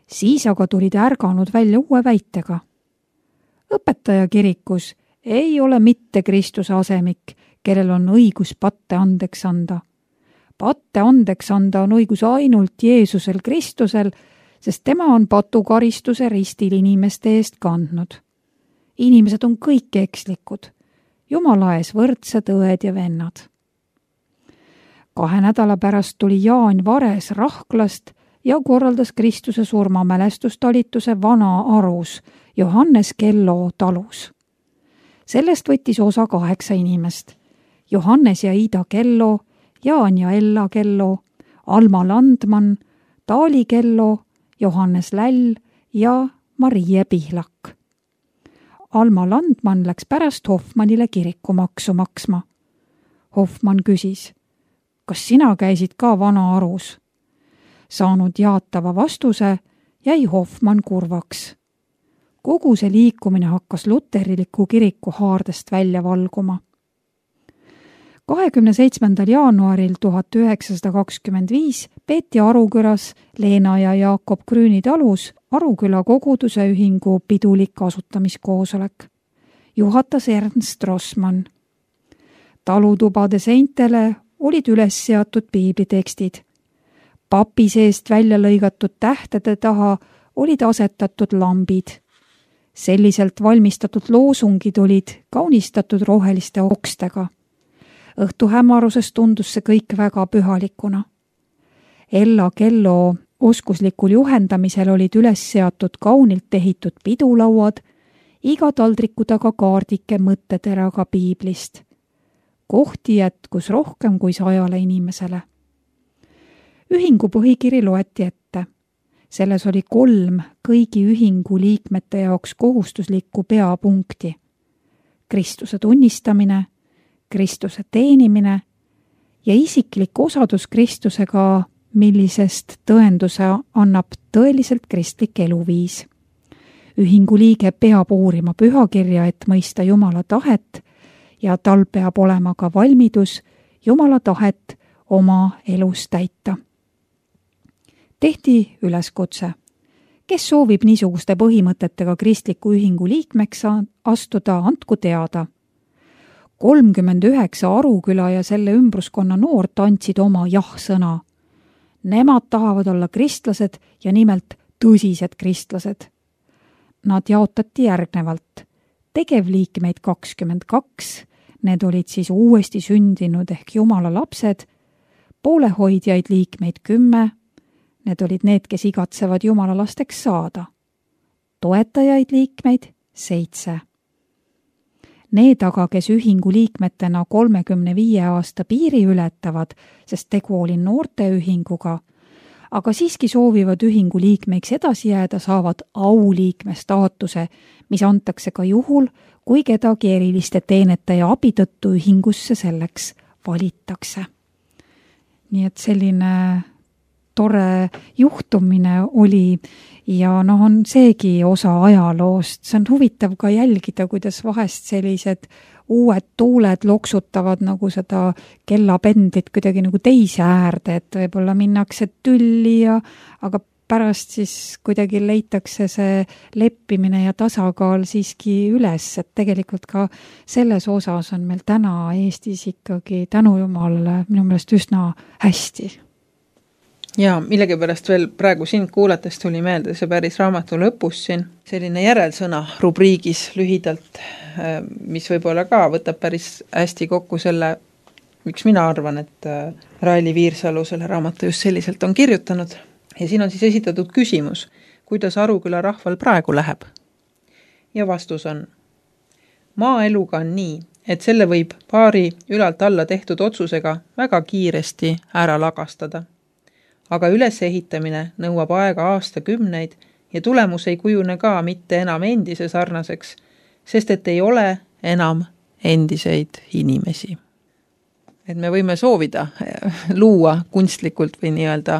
[SPEAKER 2] Siis aga tulid ärganud välja uue väitega. Õpetaja kirikus ei ole mitte Kristuse asemik, kellel on õigus patte andeks anda. Patte andeks anda on õigus ainult Jeesusel Kristusel, sest tema on patukaristuse ristil inimeste eest kandnud. Inimesed on kõik ekslikud, Jumala ees võrdsed õed ja vennad. 2 nädala pärast tuli Jaan Vares Rahklast ja korraldas Kristuse surmamälestustalituse Vana-Arus Johannes Kello talus. Sellest võttis osa 8 inimest. Johannes ja Ida Kello, Jaan ja Ella Kello, Alma Landman, Taali Kello, Johannes Läll ja Marie Pihlak. Alma Landman läks pärast Hoffmannile kirikumaksu maksma. Hoffmann küsis, kas sina käisid ka Vana-Arus? Saanud jaatava vastuse, jäi Hoffmann kurvaks. Kogu see liikumine hakkas luteriliku kiriku haardest välja valguma. 27. jaanuaril 1925 peeti Arukülas Leena ja Jakob Krüüni talus Aruküla koguduse ühingu pidulik asutamiskoosolek. Juhatas Ernst Rossmann. Talutubade seintele olid üles seatud piiblitekstid. Papi seest välja lõigatud tähtede taha olid asetatud lambid. Selliselt valmistatud loosungid olid kaunistatud roheliste okstega. Õhtu hämaruses tundus see kõik väga pühalikuna. Ella Kello oskuslikul juhendamisel olid üles seatud kaunilt ehitud pidulauad, iga taldriku taga kaardike mõtteteraga piiblist. Kohti jätkus rohkem kui 100 inimesele. Ühingu põhikiri loeti ette. Selles oli 3 kõigi ühingu liikmete jaoks kohustuslikku peapunkti. Kristuse tunnistamine, Kristuse teenimine ja isiklik osadus Kristusega, millisest tõenduse annab tõeliselt kristlik eluviis. Ühingu liige peab uurima pühakirja, et mõista Jumala tahet ja tal peab olema ka valmidus Jumala tahet oma elus täita. Tehti üleskutse. Kes soovib niisuguste põhimõtetega kristliku ühingu liikmeks astuda, andku teada. 39 Aruküla ja selle ümbruskonna noort andsid oma jah-sõna. Nemad tahavad olla kristlased ja nimelt tõsised kristlased. Nad jaotati järgnevalt. Tegevliikmeid 22, need olid siis uuesti sündinud ehk Jumala lapsed, poolehoidjaid liikmeid 10, need olid need, kes igatsevad Jumala lasteks saada. Toetajaid liikmeid 7. Need aga, kes ühingu liikmetena 35 aasta piiri ületavad, sest tegu oli noorteühinguga, aga siiski soovivad ühingu liikmeiks edasi jääda, saavad auliikme staatuse, mis antakse ka juhul, kui kedagi eriliste teenete ja abi tõttu ühingusse selleks valitakse. Nii et selline tore juhtumine oli ja on seegi osa ajaloost. See on huvitav ka jälgida, kuidas vahest sellised uued tuuled loksutavad nagu seda kellapendlit kuidagi nagu teise äärde, et võib-olla minnakse tülli aga pärast siis kuidagi leitakse see leppimine ja tasakaal siiski üles, et tegelikult ka selles osas on meil täna Eestis ikkagi tänu Jumalale minu meelest üsna hästi.
[SPEAKER 3] Ja millegipärast veel praegu sind kuulates tuli meelde see päris raamatu lõpus siin selline järelsõna rubriigis lühidalt, mis võib-olla ka võtab päris hästi kokku selle, miks mina arvan, et Raili Viirsalu selle raamatu just selliselt on kirjutanud. Ja siin on siis esitatud küsimus, kuidas Aruküla rahval praegu läheb. Ja vastus on, maaeluga on nii, et selle võib paari ülalt alla tehtud otsusega väga kiiresti ära lagastada. Aga ülesehitamine nõuab aega aastakümneid ja tulemus ei kujune ka mitte enam endise sarnaseks, sest et ei ole enam endiseid inimesi. Et me võime soovida luua kunstlikult või nii-öelda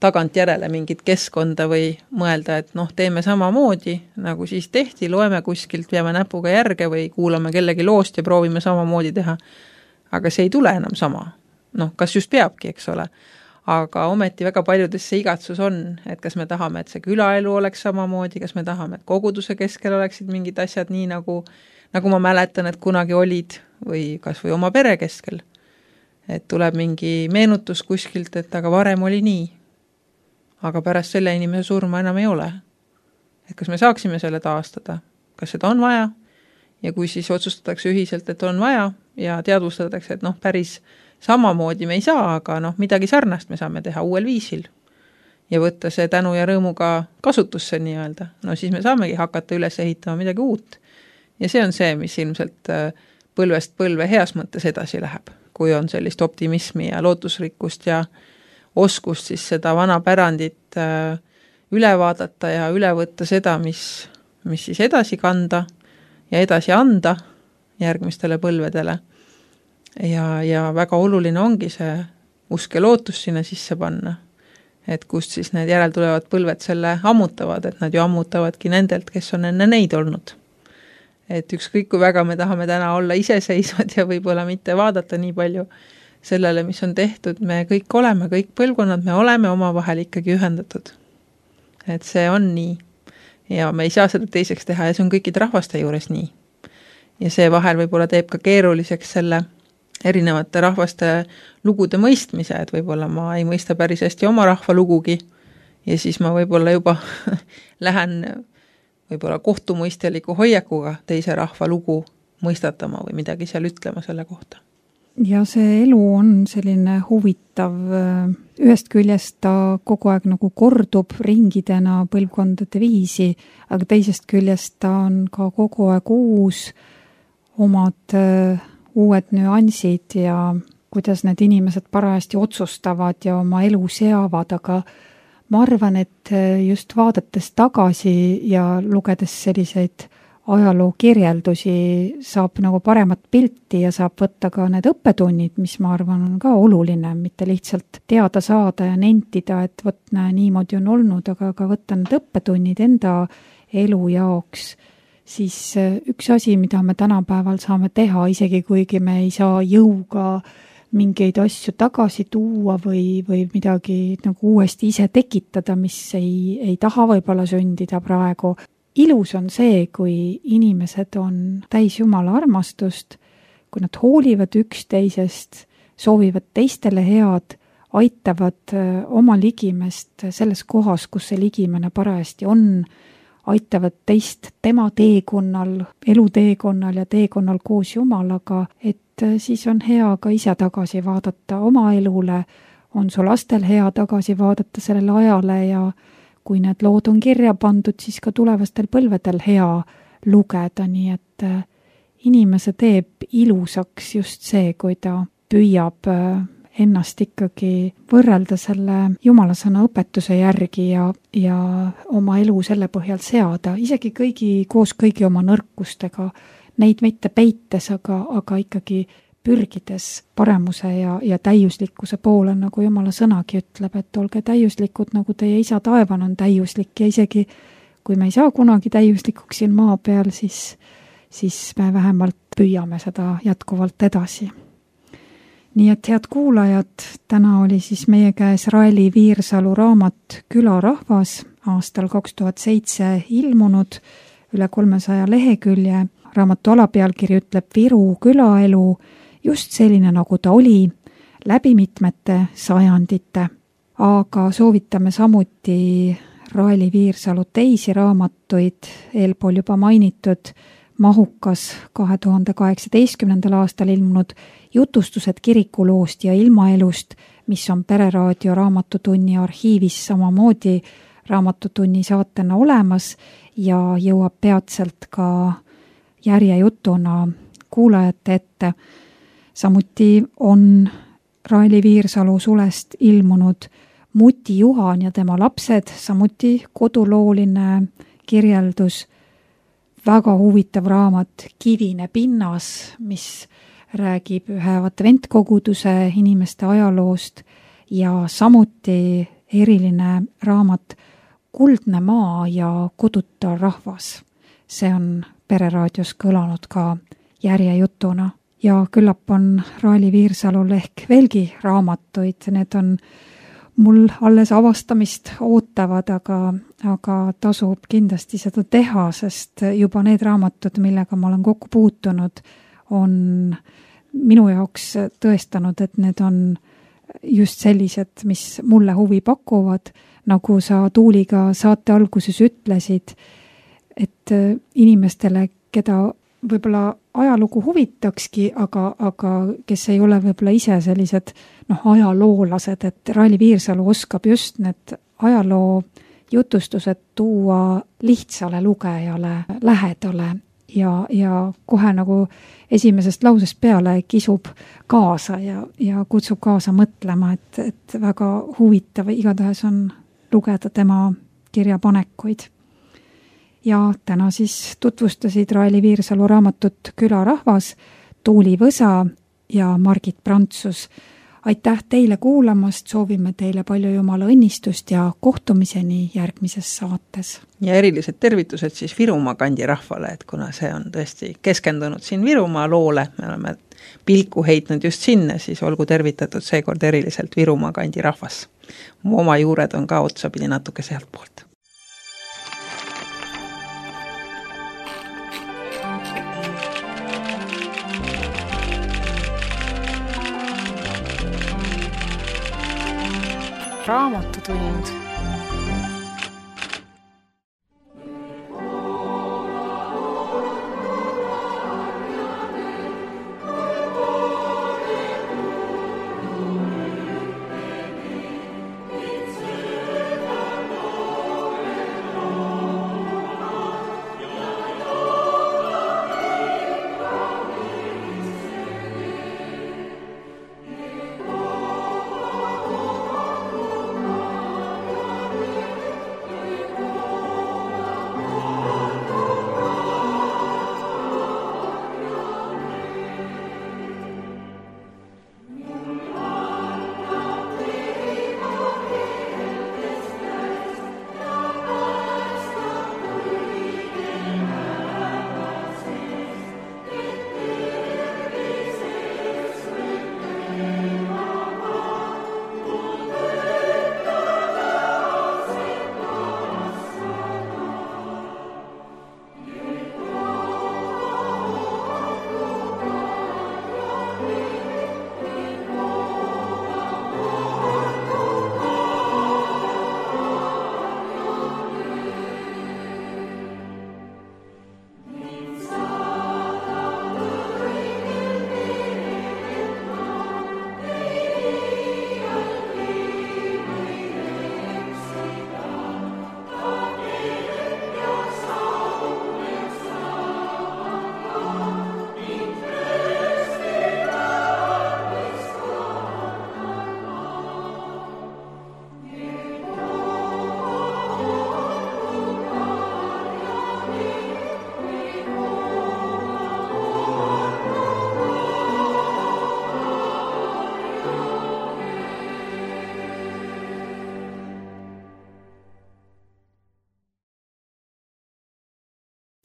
[SPEAKER 3] tagant järele mingit keskkonda või mõelda, et teeme samamoodi, nagu siis tehti, loeme kuskilt, peame näpuga järge või kuulame kellegi loost ja proovime samamoodi teha. Aga see ei tule enam sama. kas just peabki, eks ole, aga ometi väga paljudes see igatsus on, et kas me tahame, et see külaelu oleks samamoodi, kas me tahame, et koguduse keskel oleksid mingid asjad nii, nagu ma mäletan, et kunagi olid, või kas või oma pere keskel. Et tuleb mingi meenutus kuskilt, et aga varem oli nii, aga pärast selle inimese surma enam ei ole. Et kas me saaksime selle taastada, kas seda on vaja, ja kui siis otsustatakse ühiselt, et on vaja, ja teadvustatakse, et päris samamoodi me ei saa, aga midagi sarnast me saame teha uuel viisil ja võtta see tänu ja rõõmuga kasutusse nii-öelda. Siis me saamegi hakata üles ehitama midagi uut. Ja see on see, mis ilmselt põlvest põlve heas mõttes edasi läheb, kui on sellist optimismi ja lootusrikkust ja oskust siis seda vana pärandit üle vaadata ja üle võtta seda, mis siis edasi kanda ja edasi anda järgmistele põlvedele. Ja väga oluline ongi see usk ja lootus sinna sisse panna, et kust siis need järeltulevad põlved selle ammutavad, et nad ju ammutavadki nendelt, kes on enne neid olnud. Et ükskõik kui väga me tahame täna olla iseseisvad ja võib-olla mitte vaadata nii palju sellele, mis on tehtud, me kõik oleme, kõik põlvkonnad, me oleme omavahel ikkagi ühendatud. Et see on nii ja me ei saa seda teiseks teha ja see on kõikide rahvaste juures nii. Ja see vahel võib-olla teeb ka keeruliseks selle erinevate rahvaste lugude mõistmise, et võib-olla ma ei mõista päris hästi oma rahva lugugi ja siis ma võib-olla juba lähen võib-olla kohtumõisteliku hoiakuga teise rahva lugu mõistatama või midagi seal ütlema selle kohta.
[SPEAKER 2] Ja see elu on selline huvitav, ühest küljest ta kogu aeg nagu kordub ringidena põlvkondade viisi, aga teisest küljest ta on ka kogu aeg uus, omad uued nüansid ja kuidas need inimesed parajasti otsustavad ja oma elu seavad, aga ma arvan, et just vaadates tagasi ja lugedes selliseid ajaloo kirjeldusi saab nagu paremat pilti ja saab võtta ka need õppetunnid, mis ma arvan on ka oluline, mitte lihtsalt teada saada ja nentida, et niimoodi on olnud, aga ka võtta need õppetunnid enda elu jaoks. Siis üks asi, mida me tänapäeval saame teha, isegi kuigi me ei saa jõuga mingeid asju tagasi tuua või midagi nagu uuesti ise tekitada, mis ei taha võib-olla sündida praegu. Ilus on see, kui inimesed on täis Jumala armastust, kui nad hoolivad üksteisest, soovivad teistele head, aitavad oma ligimest selles kohas, kus see ligimene parajasti on, aitavad teist tema teekonnal, eluteekonnal ja teekonnal koos Jumalaga, et siis on hea ka ise tagasi vaadata oma elule, on su lastel hea tagasi vaadata sellele ajale ja kui need lood on kirja pandud, siis ka tulevastel põlvedel hea lugeda, nii et inimese teeb ilusaks just see, kui ta püüab ennast ikkagi võrrelda selle Jumala sõna õpetuse järgi ja oma elu selle põhjal seada, isegi koos kõigi oma nõrkustega, neid mitte peites, aga ikkagi pürgides paremuse ja täiuslikkuse poole, nagu Jumala sõnagi ütleb, et olge täiuslikud, nagu teie isa taevan on täiuslik ja isegi kui me ei saa kunagi täiuslikuks siin maa peal, siis me vähemalt püüame seda jätkuvalt edasi. Nii et head kuulajad, täna oli siis meie käes Raeli Viirsalu raamat Külarahvas aastal 2007 ilmunud üle 300 lehekülje. Raamatu alapealkiri ütleb Viru külaelu just selline, nagu ta oli, läbi mitmete sajandite. Aga soovitame samuti Raeli Viirsalu teisi raamatuid, eelpool juba mainitud mahukas 2018. aastal ilmunud jutustused kirikuloost ja ilmaelust, mis on Pereraadio raamatutunni arhiivis samamoodi raamatutunni saatena olemas ja jõuab peatselt ka järjejutuna kuulajate ette. Samuti on Raeli Viirsalu sulest ilmunud Muti Juhan ja tema lapsed, samuti kodulooline kirjeldus, väga huvitav raamat Kivine pinnas, mis räägib ühe adventkoguduse inimeste ajaloost ja samuti eriline raamat Kuldne maa ja koduta rahvas. See on Pereraadios kõlanud ka järjejutuna. ja küllap on Raeli Viirsalul ehk veelgi raamatuid, need on mul alles avastamist ootavad, aga tasub kindlasti seda teha, sest juba need raamatud, millega ma olen kokku puutunud, on minu jaoks tõestanud, et need on just sellised, mis mulle huvi pakuvad, nagu sa Tuuliga saate alguses ütlesid, et inimestele, keda võib-olla ajalugu huvitakski, aga kes ei ole võib-olla ise sellised ajaloolased, et Raeli Viirsalu oskab just need ajaloo jutustused tuua lihtsale lugejale lähedale ja kohe nagu esimesest lausest peale kisub kaasa ja kutsub kaasa mõtlema, et väga huvitav igatahes on lugeda tema kirjapanekuid. Ja täna siis tutvustasid Raeli Viirsalu raamatut Külarahvas, Tuuli Võsa ja Margit Prantsus. Aitäh teile kuulamast, soovime teile palju Jumala õnnistust ja kohtumiseni järgmises saates.
[SPEAKER 3] Ja erilised tervitused siis Virumaa kandi rahvale, et kuna see on tõesti keskendunud siin Virumaa loole, me oleme pilku heitnud just sinna, siis olgu tervitatud seekord eriliselt Virumaa kandi rahvas. Mu oma juured on ka otsapidi natuke sealt poolt.
[SPEAKER 1] Raamatutund.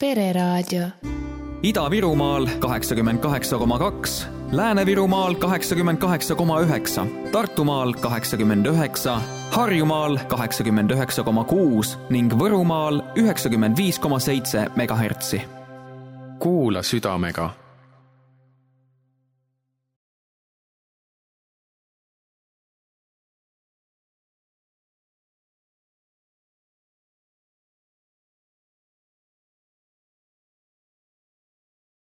[SPEAKER 4] Pereraadio.
[SPEAKER 5] Ida-Virumaal 88,2, Lääne-Virumaal 88,9, Tartumaal 89, Harjumaal 89,6 ning Võrumaal 95,7 MHz.
[SPEAKER 6] Kuula südamega.